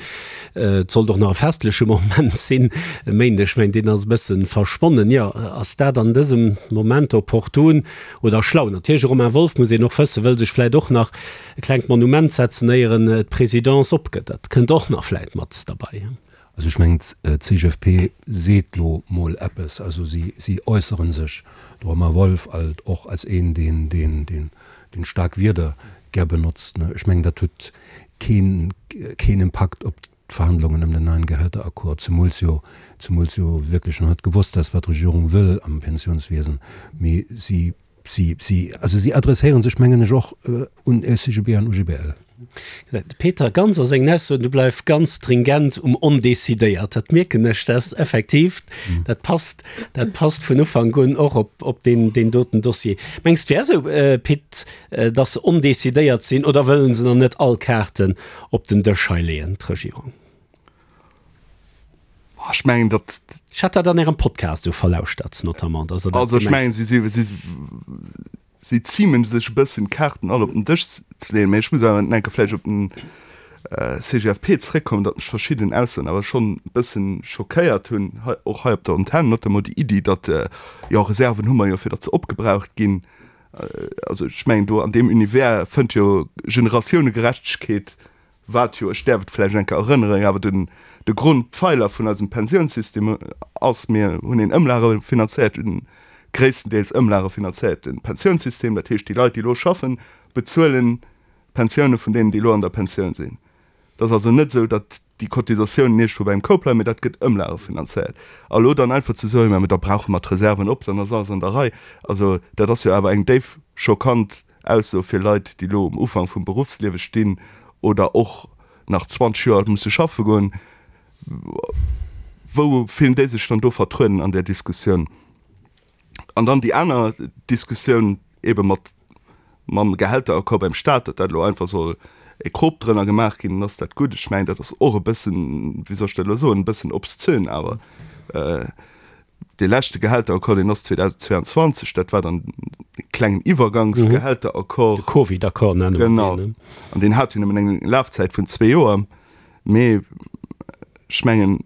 C: et sollt och nach e festleche Moment sinn e Méindeg, ech mengen, deen ass e bësse verschwonnen. Jo, ass dat an dësem Moment opportun oder schlau? Natierlech, de Romain Wolff, muss een och wëssen, wëll sech vläicht och nach e klengt Monument setzen, éier en d'Presidence opgëtt. Dat kënnt och nach vläicht mat derbei.
E: Also ech mengen, d'CGFP seet lo mol eppes, also si, si äussere sech, de Romain Wolff alt och als een, deen, deen, deen, deen staark Wierder gär benotzt, ne. Ech mengen, dat huet keen, keen Impakt op d'Verhandlungen ëm den neien Gehälteraccord, zemools jo, zemools jo wierklech nach net gewosst ass, wat d'Regierung wëll am Pensionswiesen. Mee si, si, si, also si adresséiere sech, mengen ech, och un LCGB an UGBL.
C: De Peter Ganz a sengen Aussoen, du bleif ganz stringent um ondecidéiert. Dat mierken ech, dat ass effektiv, dat passt, dat passt vun Ufank un och op, op deen, deen doten Dossier. Mengs de, wär esou, Pit, datt se ondecidéiert sinn oder wëllen se nach net all Kaarten op den Dësch hei leeën, d'Regierung?
F: Ech mengen, datt.
C: Ech hat dat an Ärem Podcast esou verlauschtert, notamment, datt Der
F: dat Also ech gemengt mengen, si, si, si zimen sech e bëssen d'Kaarten all op den Dësch ze leeën. Mä ech muss awer enke vläicht op den CGFP zeréckkommen, datt mech verschidden Aussoen awer schonn e bëssen schockéiert hunn, hei, och hei op der Antenn, notamment déi Iddi, datt, jo, Reserven hu mer jo, fir datt se opgebraucht ginn. Also ech mengen, do an deem Univers fënnt jo Generatiounegerechtegkeet wat jo, ech däerf et vläicht eng Kéier erënneren, awer den, de Grondpfeiler vun eisem Pensiounssystem ass, mir hunn een ëmlagefinanzéierten, gréisstendeels ëmlagefinanzéierte Pensiounssystem. Dat heescht, déi Leit, déi elo schaffen, bezuelen d'Pensioune vun deenen, déi elo an der Pensioun sinn. Et ass also net esou, datt déi Cotisatiounen iergendwou beim Koup bleiwen, mee dat gëtt ëmlagefinanzéiert. A elo dann einfach ze soen, mä da brauche mer d'Reserven op, dann ass alles an der Rei, also dat ass jo awer eng déif schockant Ausso fir Leit, déi elo um Ufank vum Beruffsliewe stinn oder och nach 20 Joer musse schaffe goen. Wou fillen déi sech dann do vertrueden an där Diskussioun? An dann déi aner Diskussioun eebe mat mam Gehälteraccord beim Staat, datt dat elo einfach soll e Krop drënner gemaach ginn, dann ass dat gutt. Ech mengen, dat ass och e bëssen, wéi soll ech dat elo soen, e bëssen obszön awer. Dee leschte Gehälteraccord, deen ass 2022, dat war dann e klengen Iwwergangsgehälteraccord.
C: De Covid-Accord nenne mer deen.
F: Genau. An deen hat jo nëmmen eng Lafzäit vun zwee Joer. Mee ech mengen,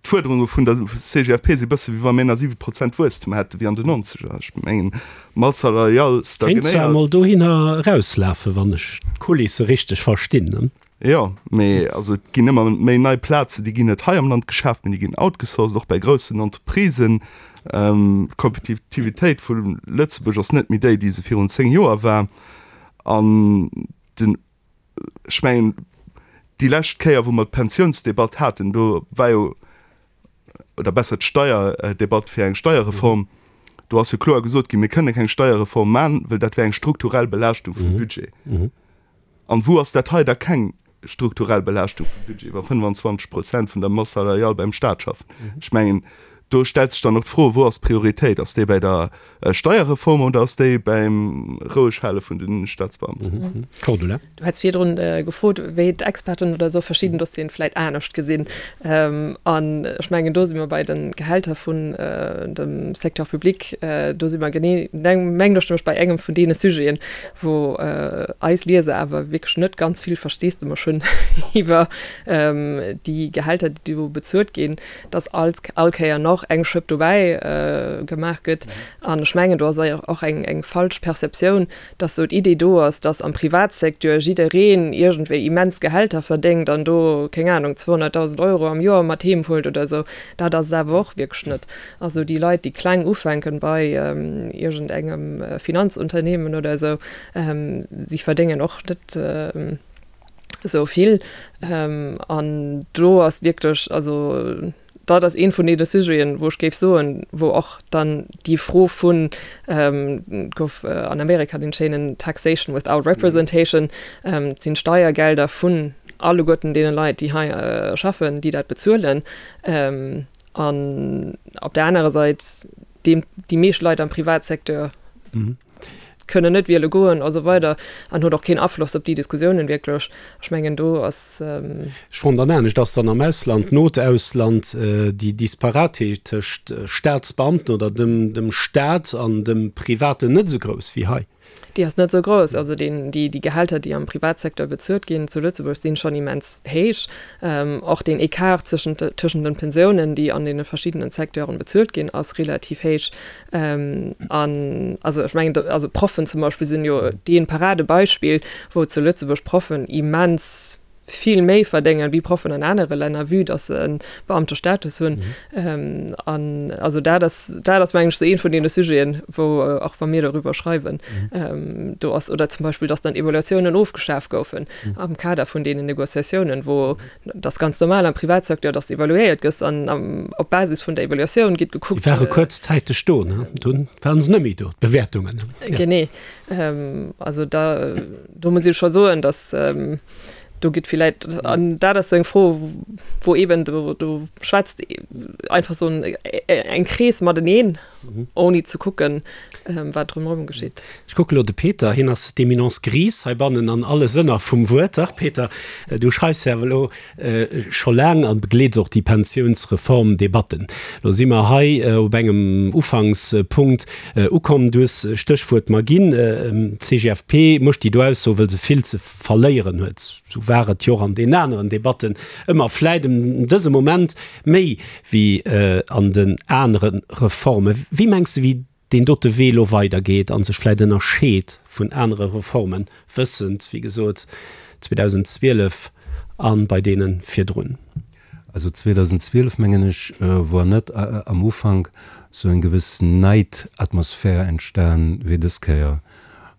F: d'Fuerderunge vun der CGFP si bësse wéi wa mir nach 7 Prozent Wuesstem hätte wéi an den Nonzeger. Ech mengen, d'Masse salariale
C: Kéint zwar stagnéiert. emol dohinner erauslafen, wann ech d'Kulisse richteg verstinn, ne?
F: Jo, mee also et ginn ëmmer méi nei Plazen, déi ginn net hei am Land geschaaft, mee déi ginn outgesourced, och bei groussen Entreprisen. D'Kompetitivitéit vu Lëtzebuerg ass net méi déi, déi se virun 10 Joer war. An den, ech mengen, déi lescht Kéier, wou mer d'Pensiounsdebatt haten, do war jo, oder besser d'Steierdebatt fir eng Steierreform, do ass jo kloer gesot ginn, mir kënne keng Steierreform man, well dat wär eng strukturell Belaaschtung vum Budget. An wou ass dat hei da keng strukturell Belaaschtung vum Budget, wa 25 Prozent vun der Masse salariale beim Stat schaffen? Ech mengen, do stellt sech dann och d'Fro, Wou ass d'Prioritéit? Ass déi bei der Steierreform oder ass déi beim Roueghale vun de Statsbeamten?
C: Cordula.
D: Du hätt virdrun gefrot, wéi d'Experten oder esou verschidden Dossieren vläit anescht gesinn. An ech mengen, do si mer bei de Gehälter vun dem Secteur public, do si mer genee, mengen ech, nämlech bei engem vun deene Sujeten, wou eis Lieser awer wierklech net ganz vill Versteesdemech hunn iwwer déi Gehälter, déi do bezuelt ginn, dass all all Kéier nach eng Schëpp dobäi gemaach gëtt. An ech mengen, do ass och eng eng falsch Perceptioun, dass sou d'Idee do ass, dass am Privatsecteur jiddereen iergendwéi immens Gehälter verdéngt an do, keng Anung, 200.000 Euro am Joer mat heem huelt oder esou. Dat ass et awer och wierklech net. Also déi Leit, déi kleng ufänken bei iergend engem Finanzunternehmen oder esou, si verdéngen och net esou vill. An do ass wierklech, also dat ass ee vun deene Sujeten, wou ech géif soen, wou och dann déi Fro vun, et gouf an Amerika dee schéinen Taxation without representation, et sinn d'Steiergelder vun alleguerten deene Leit, déi hei schaffen, déi dat bezuelen. An op der anerer Sait, déi meescht Leit am Privatsecteur kënnen net wiele goen a sou weider an huet och keen Afloss op déi Diskussiounen wierklech. Ech mengen do ass.
C: Ech froen dann anescht, Ass dann am Ausland, Notausland, déi Disparaté tëscht Staatsbeamten oder dem Staat an dem Privaten net esou grouss wéi hei?
D: Déi ass net esou grouss. Also deen, déi, déi Gehälter, déi am Privatsecteur bezuelt ginn zu Lëtzebuerg, sinn schonn immens héich. Och deen Ecart zwëschent, tëschent den Pensiounen, déi an deene verschiddenen Secteuren bezuelt ginn, ass relativ héich. An also ech mengen, also Proffen zum Beispill sinn jo dee Paradebeispill, wou zu Lëtzebuerg Proffen immens. vill méi verdéngen wéi Proffen an anere Länner, vue dass se e Beamtestatus hunn. An also dat ass, dat ass mengen ech esou ee vun deene Sujeten, wou och wa mir doriwwer schreiwen, do ass, oder zum Beispill, dass dann Evaluatiounen ofgeschaf goufen am Kader vun deenen Négociatiounen, wou dat ass ganz normal am Privatsecteur, dass de evaluéiert gëss an op Basis vun der Evaluatioun gétt gekuckt.
C: Si ware kuerzzäiteg do, ne? Dunn waren se net méi do, d'Bewäertungen.
D: Genee. Also da, do muss ech scho soen, dass do gëtt villäit, an dat ass esou eng Fro, wou eeben do, do schwätzt einfach esou eng Krees mateneen, ouni ze kucken, wat drumherum geschitt.
C: Ech kucke lo de Peter, hien ass d'Eminence grise heibannen an alle Sënner vum Wuert. Dach Peter, du schreifs jo awer elo scho laang an begleets och déi Pensiounsreformdebatten. Lo si mer hei op engem Ufankspunkt ukomm. Du hues Stéchwuert mer ginn, d'CGFP mécht déi do Ausso, wëll se vill ze verléieren huet. Sou war et jo och an deenen aneren Debatten ëmmer, vläit an dësem Moment méi wéi an den anere Reformen. Wéi mengs de, wéi deen dote Wee elo weidergeet a sech vläit ënnerscheet vun anere Reformen, wëssend, wéi gesot, 2012 a bei deene virdrun.
E: Also 2012, mengen ech, wor net am Ufank esou eng gewëss Neidatmosphär entstan wéi dës Kéier.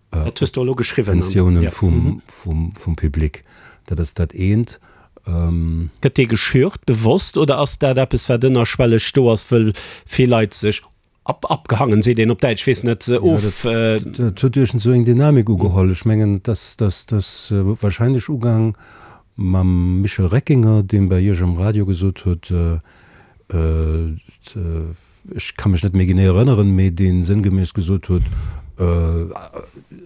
C: Dat hues de elo geschriwwen.
E: Pensiounen vum Public, dat ass dat eent.
C: Gëtt dee geschürt, bewosst, oder ass dat eppes, wat ënnerschwelleg do ass, wëll vill Leit sech Ab, abgehangen seet een op Däitsch, weess net, of.
E: Dat huet iergend esou eng Dynamik ugeholl. Ech mengen, et ass, dass, dass wahrscheinlech ugaang mam Michel Reckinger, deen bei Iech am Radio gesot huet, ech ka mech net méi genee erënneren, mee dee sënngemäss gesot huet,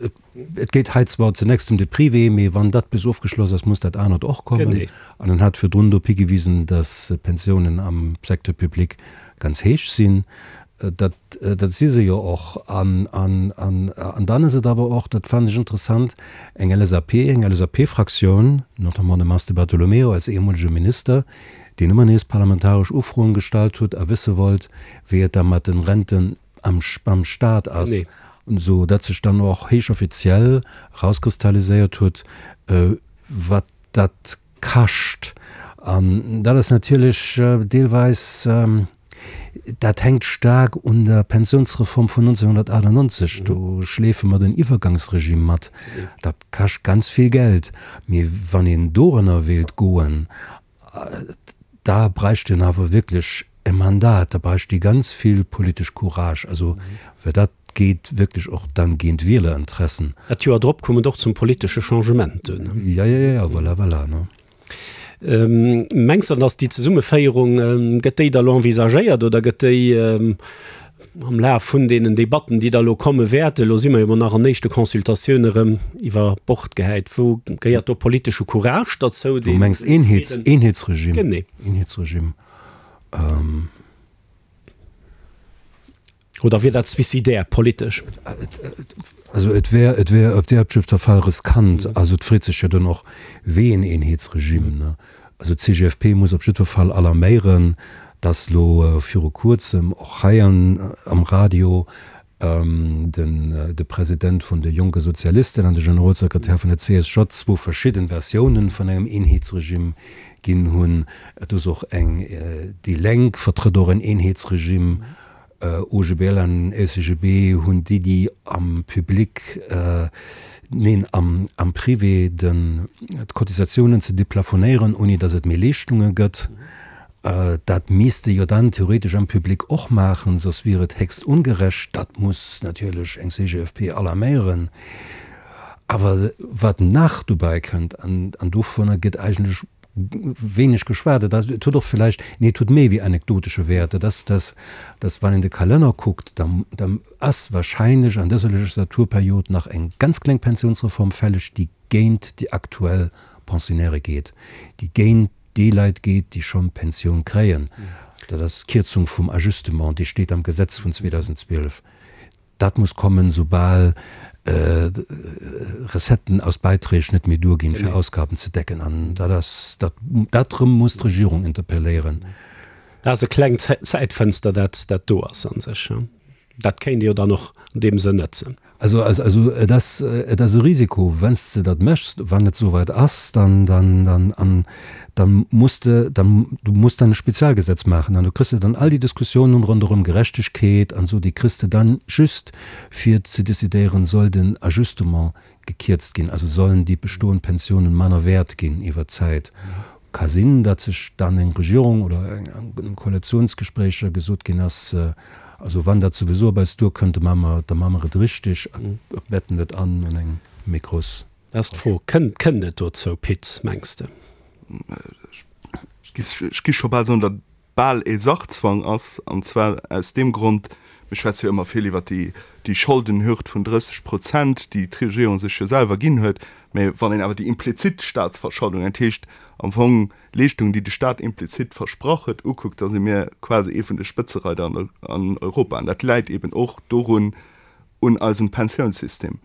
E: et Et geet hei zwar zunächst ëm de Privé, mee wann dat bis ofgeschloss ass, muss dat anert och kommen. An en hat virdrun drop higewisen, dass d'Pensiounen am Secteur public ganz héich sinn. Dat, dat si se jo och. An, an, an, an dann ass et awer och, dat fannen ech interessant, eng LSAP, eng LSAP-Fraktioun, notamment de Mars Di Bartolomeo als ehemolege Minister, deen ëmmer nees parlamentaresch Ufroen gestallt huet a wësse wollt, wéi et da mat den Renten am beim Staat ass, esou datt sech dann och héich offiziell erauskristalliséiert huet, wat dat kascht. An dat ass natierlech deelweis, dat hänkt staark un der Pensiounsreform vun 1998, do schleefe mer den Iwwergangsregime mat, dat kascht ganz vill Geld. Mee wann een dorënner wéilt goen, Da bräicht een awer wierklech e Mandat, da bräicht ee ganz vill politesch Courage, also well dat geet wierklech och dann géint Wielerinteressen.
C: Dat Joer drop koum et och zum politesche Changement dunn.
E: Jo, jo, jo, voilà, voilà, ne.
C: Mengs de, datt déi Zesummeféierung, gëtt déi da lo envisagéiert oder gëtt déi Am Laf vun deenen Debatten, déi da elo komme wäerten, elo si mer jo emol nach an éischte Consultatioune rëm iwwer Bord gehäit, wou gehéiert do politesche Courage derzou,
E: dee. Du mengs Eenheets, Eenheetsregime? Genee. Eenheetsregime.
C: Oder wier dat suicidaire politesch?
E: Also et wär, et wär op jiddwer Fall riskant. Also et freet sech jo dann och, wéi een Eenheetsregime, ne? Also d'CGFP muss op jiddwer Fall alarméieren, dass elo viru kuerzem och hei am Radio den de President vun de Jonke Sozialisten an de Generolsekretär vun der CSJ zwou verschidden Versiounen vun engem Eenheetsregime ginn hunn. Et ass och eng, déi Lenk vertrëtt och en Eenheetsregime. OGBL an LCGB hunn d'Iddi am Public, neen am Privé den d'Cotisatiounen ze deplafonéieren, ouni datt et méi Leeschtunge gëtt. Dat misst ee jo dann theoretesch am Public och maachen, soss wier et héchst ongerecht. Dat muss natierlech eng CGFP alarméieren. Awer wat nach dobäi kënnt, an dovunner gëtt eigentlech wéineg geschwat, et ass, et huet och villäicht, nee et huet méi wéi anekdotesche Wäert, dat ass, dass, dass wann een de Kalenner kuckt, da, da ass wahrscheinlech an dëser Legislaturperiod nach eng ganz kleng Pensionsreform fälleg, déi géint déi aktuell Pensionnairë geet, déi géint déi Leit geet, déi schonn d'Pensioun kréien. Dat ass d'Kierzung vum Ajustement, déi steet am Gesetz vun 2012. Dat muss kommen, soubal Recetten aus Beiträg net méi duerginn, fir Ausgaben ze decken. An dat ass, dat, dat erëm muss d'Regierung interpelléieren.
C: Dat ass e klengt Zäitfënster, dat, dat do ass a sech. Dat kéint ee jo dann och an deem Sënn nëtzen.
E: Also, also et ass, et ass e Risiko, wann s de dat méchs, wann et esouwäit ass, dann, dann, dann, an dann muss de, dann, du muss dann e Spezialgesetz maachen an du kriss de dann all déi Diskussiounen ronderëm Gerechtegkeet an esou, déi kriss de dann just fir ze decidéieren, soll den Ajustement gekierzt ginn, also sollen déi bestoend Pensiounen manner wäert ginn iwwert d'Zäit. Ka sinn, datt sech dann eng Regierung oder an Koalitionsgespréicher gesot ginn ass, also wann dat souwisou op eis duerkënnt, da maache mer, da maache mer et richtig a betten et an an eng méi grouss.
C: Dat ass d'Fro. Kënnt, kënnt et dozou, Pit, mengs de?
F: Ech gi scho bal soen, datt bal ee Sachzwang ass, an zwar aus deem Grond, mir schwätze jo ëmmer vill iwwert déi, déi Scholdenhürd vun 30 Prozent, déi d'Regierung sech jo selwer ginn huet, mä wann een awer déi implizit Statsverscholdung, dat heescht am Fong Leeschtungen, déi de Stat implizit versprach huet, ukuckt, da si mir quasi ee vun de Spëtzereider an Europa. An dat läit eben och dorun, un eisem Pensiounssystem.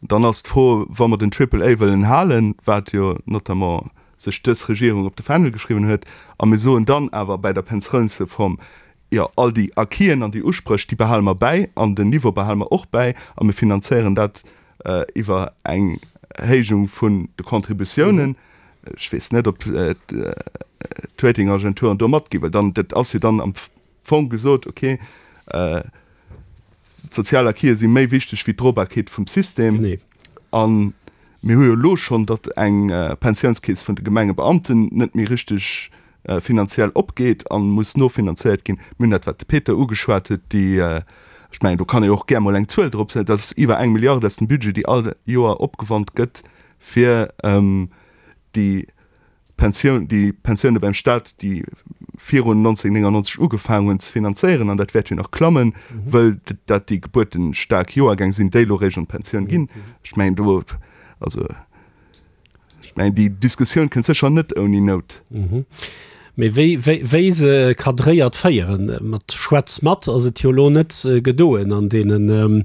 F: Dann ass d'Fro, wa mer den Triple A wëllen halen, wat jo notamment sech dës Regierung op de Fändel geschriwwen huet, a mir soen dann awer bäi der Pensiounsreform, jo, all déi Acquisen an déi Uspréch, déi behale mer bäi an den Niveau behale mer och bäi a mir finanzéieren dat iwwer eng Héijung vun de Contributiounen. Ech weess net, ob d'Ratingagenturen do matginn, well dann, dat ass jo dann am Fong gesot, okay, d'sozial Acquise si méi wichteg wéi d'Drobarkeet vum System. A mir hu jo elo schonn, datt eng Pensiounskeess vun de Gemengebeamten net méi richteg finanziell opgeet a muss nofinanzéiert ginn. Mir hunn dat, wat de Peter ugeschwat huet, déi, ech mengen, do kann ee och gär mol eng Zuel drop setzen, dat ass iwwer eng Milliard aus dem Budget, déi all Joer opgewannt gëtt, fir déi Pensioun, déi Pensioune beim Staat, déi virun 1999 ugefaangen hunn, ze finanzéieren, an dat wäert jo nach klammen, wëll dat déi gebuertestaark Joergäng sinn, déi elo réischt an d'Pensioun ginn. Ech mengen do, also ech mengen déi Diskussioun kënnt sécher net ouni Nout.
C: Mee wéi, wéi, wéi se cadréiert féieren, mat Schwätz mat ass et jo elo net gedoen an deenen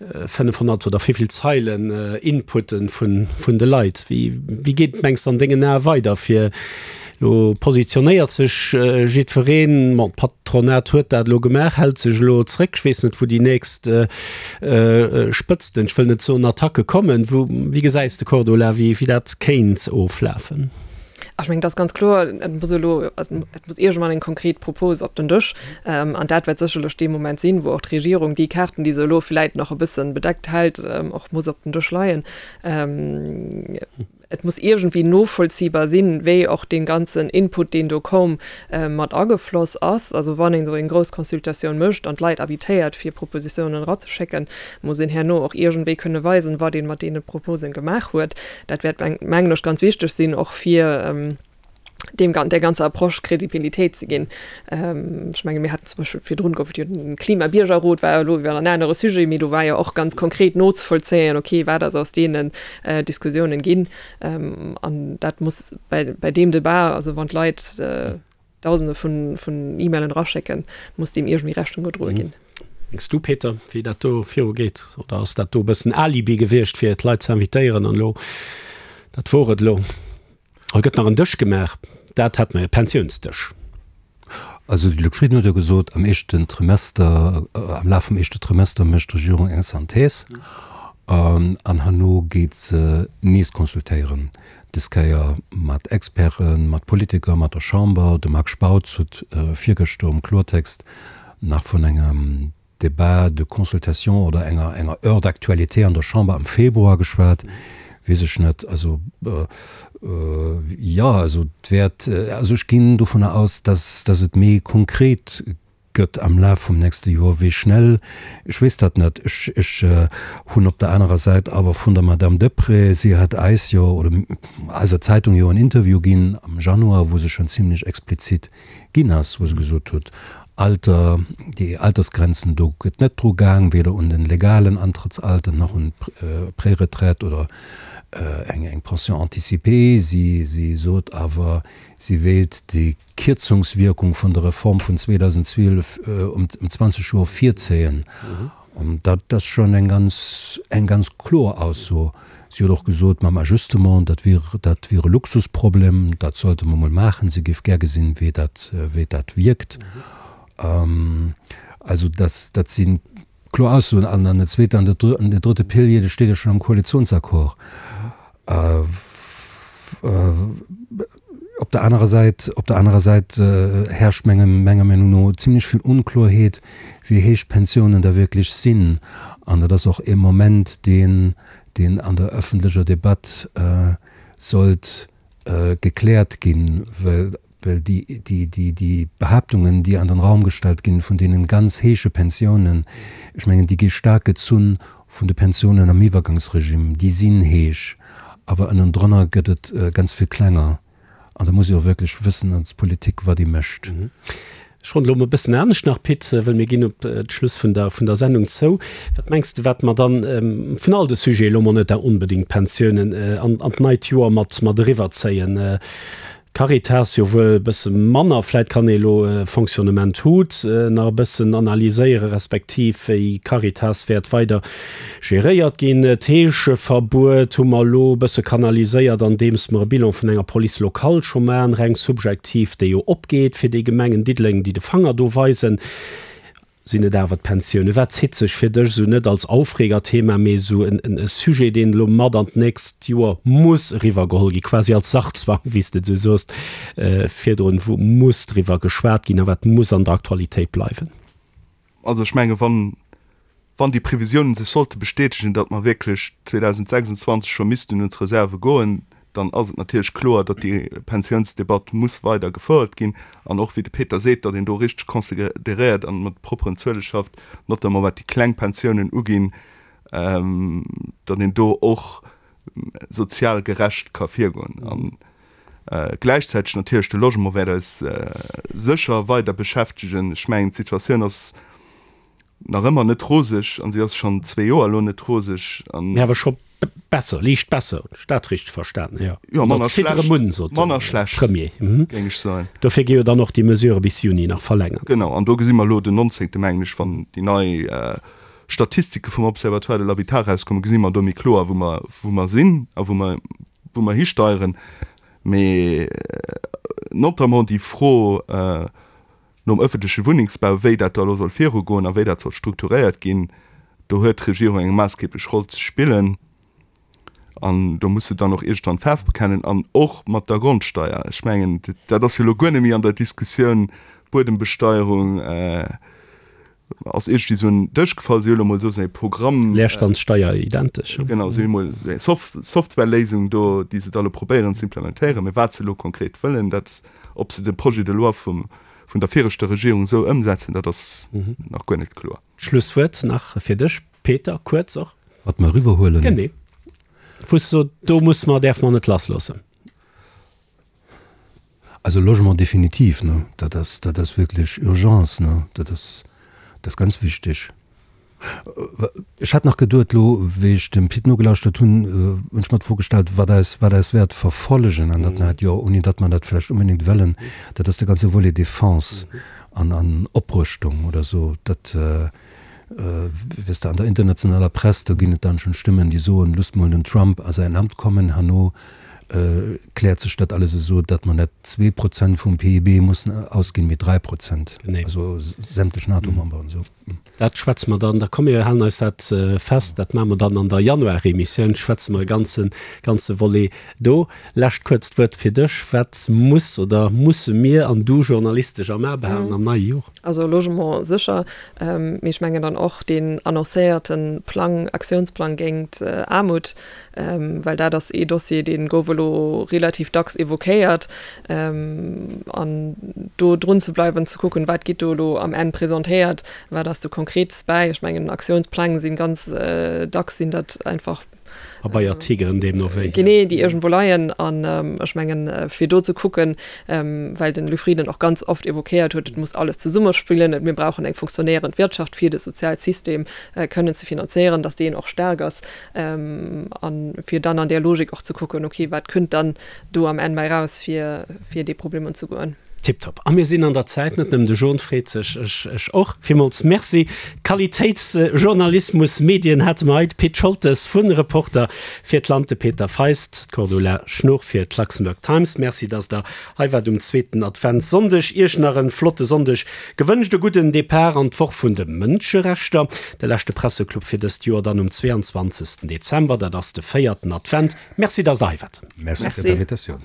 C: 500 oder wéivill Zeilen Inputen vun, vun de Leit. Wéi, wéi geet et, mengs de, an dengen Ae weider fir elo positionéiert sech jiddwereen, bon, d'Patronat huet dat elo gemaach, hält sech elo zréck, ech weess net wou déi nächst Spëtzten, ech wëll net soen Attacke kommen. Wou, wéi gesäis de, Cordula, wéi, wéi dat kéint oflafen?
D: Ech mengen, et ass ganz kloer, et muss elo, et muss iergendwann eng konkret Propos op den Dësch. An dat wäert sécherlech dee Moment sinn, wou och d'Regierung déi Kaarten, déi se elo vläit nach e bësse bedeckt hält, och muss op den Dësch leien. Et muss iergendwéi novollziehbar sinn, wéi och dee ganzen Input, deen do koum, mat agefloss ass. Also wann een esou eng grouss Consultatioun mécht an d'Leit invitéiert, fir Propositionen erazeschécken, muss een herno och iergendwéi kënne weisen, wat ee mat deene Proposen gemaach huet. Dat wäert, mengen ech, ganz wichteg sinn, och fir deem, der ganzer Approche Kredibilitéit ze ginn. Ech menge mir haten zum Beispill virdrun gouf et jo den Klimabiergerrot, war elo iwwer en anere Sujet, mee do war jo och ganz konkret nozevollzéien, okay, wat ass aus deenen Diskussiounen ginn. An dat muss bei, bei deem Debat, also wann d'Leit, Dausende vun, vun E-Mailen eraschécken, muss deem iergendwéi Rechnung gedroe ginn.
C: Mengs du, Peter, wéi dat do viru geet? Oder ass dat do e bëssen Alibi gewiescht, fir d'Leit ze invitéieren an elo, dat wor et elo? Oder gëtt nach en Dësch gemaach? Dat hätt mer, e Pensiounsdësch.
E: Also de Luc Frieden huet jo gesot, am éischten Trimester, am Laf vum éischte Trimester mécht d'Regierung eng Synthèse an herno geet se nees consultéieren. Des Kéier mat Experten, mat Politiker, mat der Chamber. De Marc Spautz huet virgëschter um Kloertext nach vun engem Débat de consultation oder enger enger Heure d'actualité an der Chamber am Februar geschwat. Weess ech net. Also, jo, also et wäert, also ech ginn dovunner aus, dass dass et méi konkret gëtt am Laf vum nächste Joer. Wéi schnell, ech weess dat net. Ech, ech hunn op der anerer Säit awer vun der Madame Deprez, si hat eis jo, oder eiser Zeitung jo en Interview ginn am Januar, wou se schonn zimlech explizit ginn ass, wou se gesot huet, Alter, déi Altersgrenzen, do gëtt net dru gaang, weder un den legalen Antrëttsalter nach un d'Préretraite oder eng, eng Pension anticipée. Si, si sot awer, si wéilt déi Kierzungswierkung vun der Reform vun 2012 ëm 20 Joer virzéien. An dat ass schonn eng ganz, eng ganz kloer Ausso. Si huet och gesot, mam Ajustement, dat wier, dat wier e Luxusproblem, dat sollte mer mol maachen. Si géif gär gesinn, wéi dat, wéi dat wierkt. Also dat, dat si kloer Aussoen. An an der zweeter an der drëtte Pilier, dat steet jo schonn am Koalitionsaccord. Op der anerer Säit, op der anerer Säit herrscht mengem, menger Meenung no zimlech vill Onkloerheet, wéi héich d'Pensiounen da wierklech sinn. An dat ass och e Moment, deen, deen an der öffentlecher Debatt sollt gekläert ginn, well, well déi, déi, déi, déi Behaaptungen, déi an den Raum gestallt ginn, vun deenen ganz héije Pensiounen, ech mengen, déi gi staark gezunn vun de Pensiounen am Iwwergangsregime, déi sinn héich, awer ënnendrënner gëtt et ganz vill klenger. An da muss ee och wierklech wëssen als Politik, wat ee mécht.
C: Ech ronnen elo emol e bëssen anescht nach, Pit, wëll mir ginn op d'Schluss vun der, vun der Sendung zou. Wat mengs de, wat mer dann vun all de Sujeten, elo mol net onbedéngt d'Pensiounen, an, an d'neit Joer mat, mat eriwwerzéien? D'Caritas jo wuel e bësse manner, vläit kann ee elo Fonctionnement Hut nach e bëssen analyséieren, respektiv wéi Caritas wäert weider geréiert ginn. D'Heescheverbuet hu mer elo e bësse kanaliséiert, andeems mer e Bilan vun enger Police locale scho maachen, reng subjektiv, déi jo opgeet fir déi Gemengen Diddeleng, déi de Fanger do weisen. Sinn et awer d'Pensiounen? Wat zitt sech fir dech esou net als Aufregerthema, mee esou e Sujet, deen elo mat an d'nächst Joer muss eriwwergeholl ginn, quasi als Sachzwang, wéi s de et esou soos virdrun, wou muss driwwer geschwat ginn a wat muss an der Aktualitéit bleiwen?
F: Also ech menge wann, wann déi Previsiounen sech sollte bestätegen, datt mer wierklech 2026 scho missten un d'Reserve goen, dann ass et natierlech kloer, datt déi Pensiounsdebatt muss weider gefouert ginn an och, wéi de Peter seet, datt een do richteg consideréiert an mat propperen Zuele schafft, notamment wat déi kleng Pensiounen uginn, datt een do och sozial gerecht ka virgoen. A gläichzäiteg natierlech de Logement wäert eis sécher weider beschäftegen. Ech mengen, d'Situatioun ass nach ëmmer net roseg an si ass schonn zwee Joer elo net roseg an.
C: Mee awer scho besser, liicht besser, hunn ech dat richteg verstanen? Jo,
F: jo, manner schlecht, manner schlecht,
C: Premier,
F: géing ech soen.
C: Dofir gi jo dann och déi Mesurë bis Juni nach verlängert.
F: Genau, an do gesi mer elo den 19. mengen ech, wann déi nei Statistike vum Observatoire de l'habitat erauskommen, gesi mer do méi kloer, wou mer, wou mer sinn a wou mer, wou mer histeieren. Mee notamment déi Fro, Nom ëffentleche Wunnengsbau, wéi dat da elo soll virugoen a wéi dat soll strukturéiert ginn, do huet d'Regierung eng maassgeblech Roll ze spillen an do muss se dann och iergendwann Faarf bekennen an och mat der Grondsteier. Ech mengen, dat ass jo elo guer net méi an der Diskussioun, Buedembesteierung ass iergendwéi esou un den Dësch gefall. Si hu elo mol esou e Programm.
C: Leerstandssteier identesch.
F: Genau, si hu mol esou eng Softwarelësung do, déi se da elo probéieren ze implementéieren. Mä wat se elo konkret wëllen, dat Ob se de Projet de loi vum, vun der viregter Regierung esou ëmsetzen, dat ass nach guer net kloer.
C: Schlusswuert nach fir dech, Peter, kuerz och.
E: Wat mer eriwwerhuelen.
C: Genee. Wou s de sot, do muss mer, däerfe mer net lassloossen.
E: Also Logement definitiv, ne, dat ass, dat ass wierklech Urgence, ne, dat ass, dat ass ganz wichteg. Ech hat nach geduet, elo wéi ech dem Pit nogelauschtert hunn, hunn ech mer d'Fro gestallt, wat eis, wat eis wäert verfollegen an dat neit Joer, ouni datt mer dat vläicht unbedéngt wëllen, dat ass de ganze Volet Défense an, an Oprëschtung oder esou. Dat, weess de, an der internationaler Press, do ginn et dann schonn Stëmmen, déi soen, Loosst mol den Trump a säin Amt kommen, herno kläert sech dat alles esou, datt mer net 2% vum PIB mussen ausginn, mee 3%, also sämtlech NATO-Memberen esou.
C: Dat schwätze mer dann, da komm mir halen eis dat fest, dat maache mer dann an der Januaremissioun, schwätze mer e ganze, ganze Volet do. Lescht kuerzt Wuert fir dech, Wat muss oder musse mir an du journalistesch am A behalen am neie Joer?
D: Also Logement sécher, mee ech mengen dann och deen annoncéierte Plang, Aktiounsplang géingt Aarmut, well dat ass ee Dossier, dee gouf elo relativ dacks évoquéiert, an do drun ze bleiwen, ze kucken, wat gétt do elo am Enn presentéiert, wat ass do Konkretes bäi. Ech mengen, Aktiounspläng si ganz dacks sinn dat einfach
C: Pabeiertigeren deemno wéi.
D: Genee, déi iergendwou leien. An ech mengen, fir do ze kucken, well den Luc Frieden och ganz oft évoquéiert huet, et muss alles zesummespillen, et mir brauchen eng funktionéierend Wirtschaft, fir de Sozialsystem kënnen ze finanzéieren, datt deen och staark ass. An fir dann an där Logik och ze kucken, okay, wat kënnt dann do am Enn bäi raus, fir, fir dee Problem unzegoen.
C: Tiptop. A mir sinn an der Zäit, net nëmmen de John freet sech, ech, ech och. Villmools Merci. Qualitéitsjournalismus, Medien hate mer hei, de Pit Scholtes vun Reporter fir d'Land, de Peter Feist, d'Cordula Schnoor fir d'Luxembourg Times. Merci, dass Der hei waart um zweeten Adventssonndeg. Iech nach en flotte Sonndeg gewënscht, e gudden Depart an d'Woch vun de Mënscherechter. De leschte Presseclub fir dëst Joer dann um 22. Dezember, dat ass de véierten Advent. Merci, dass Der hei waart.
E: Merci fir d'Invitatioun.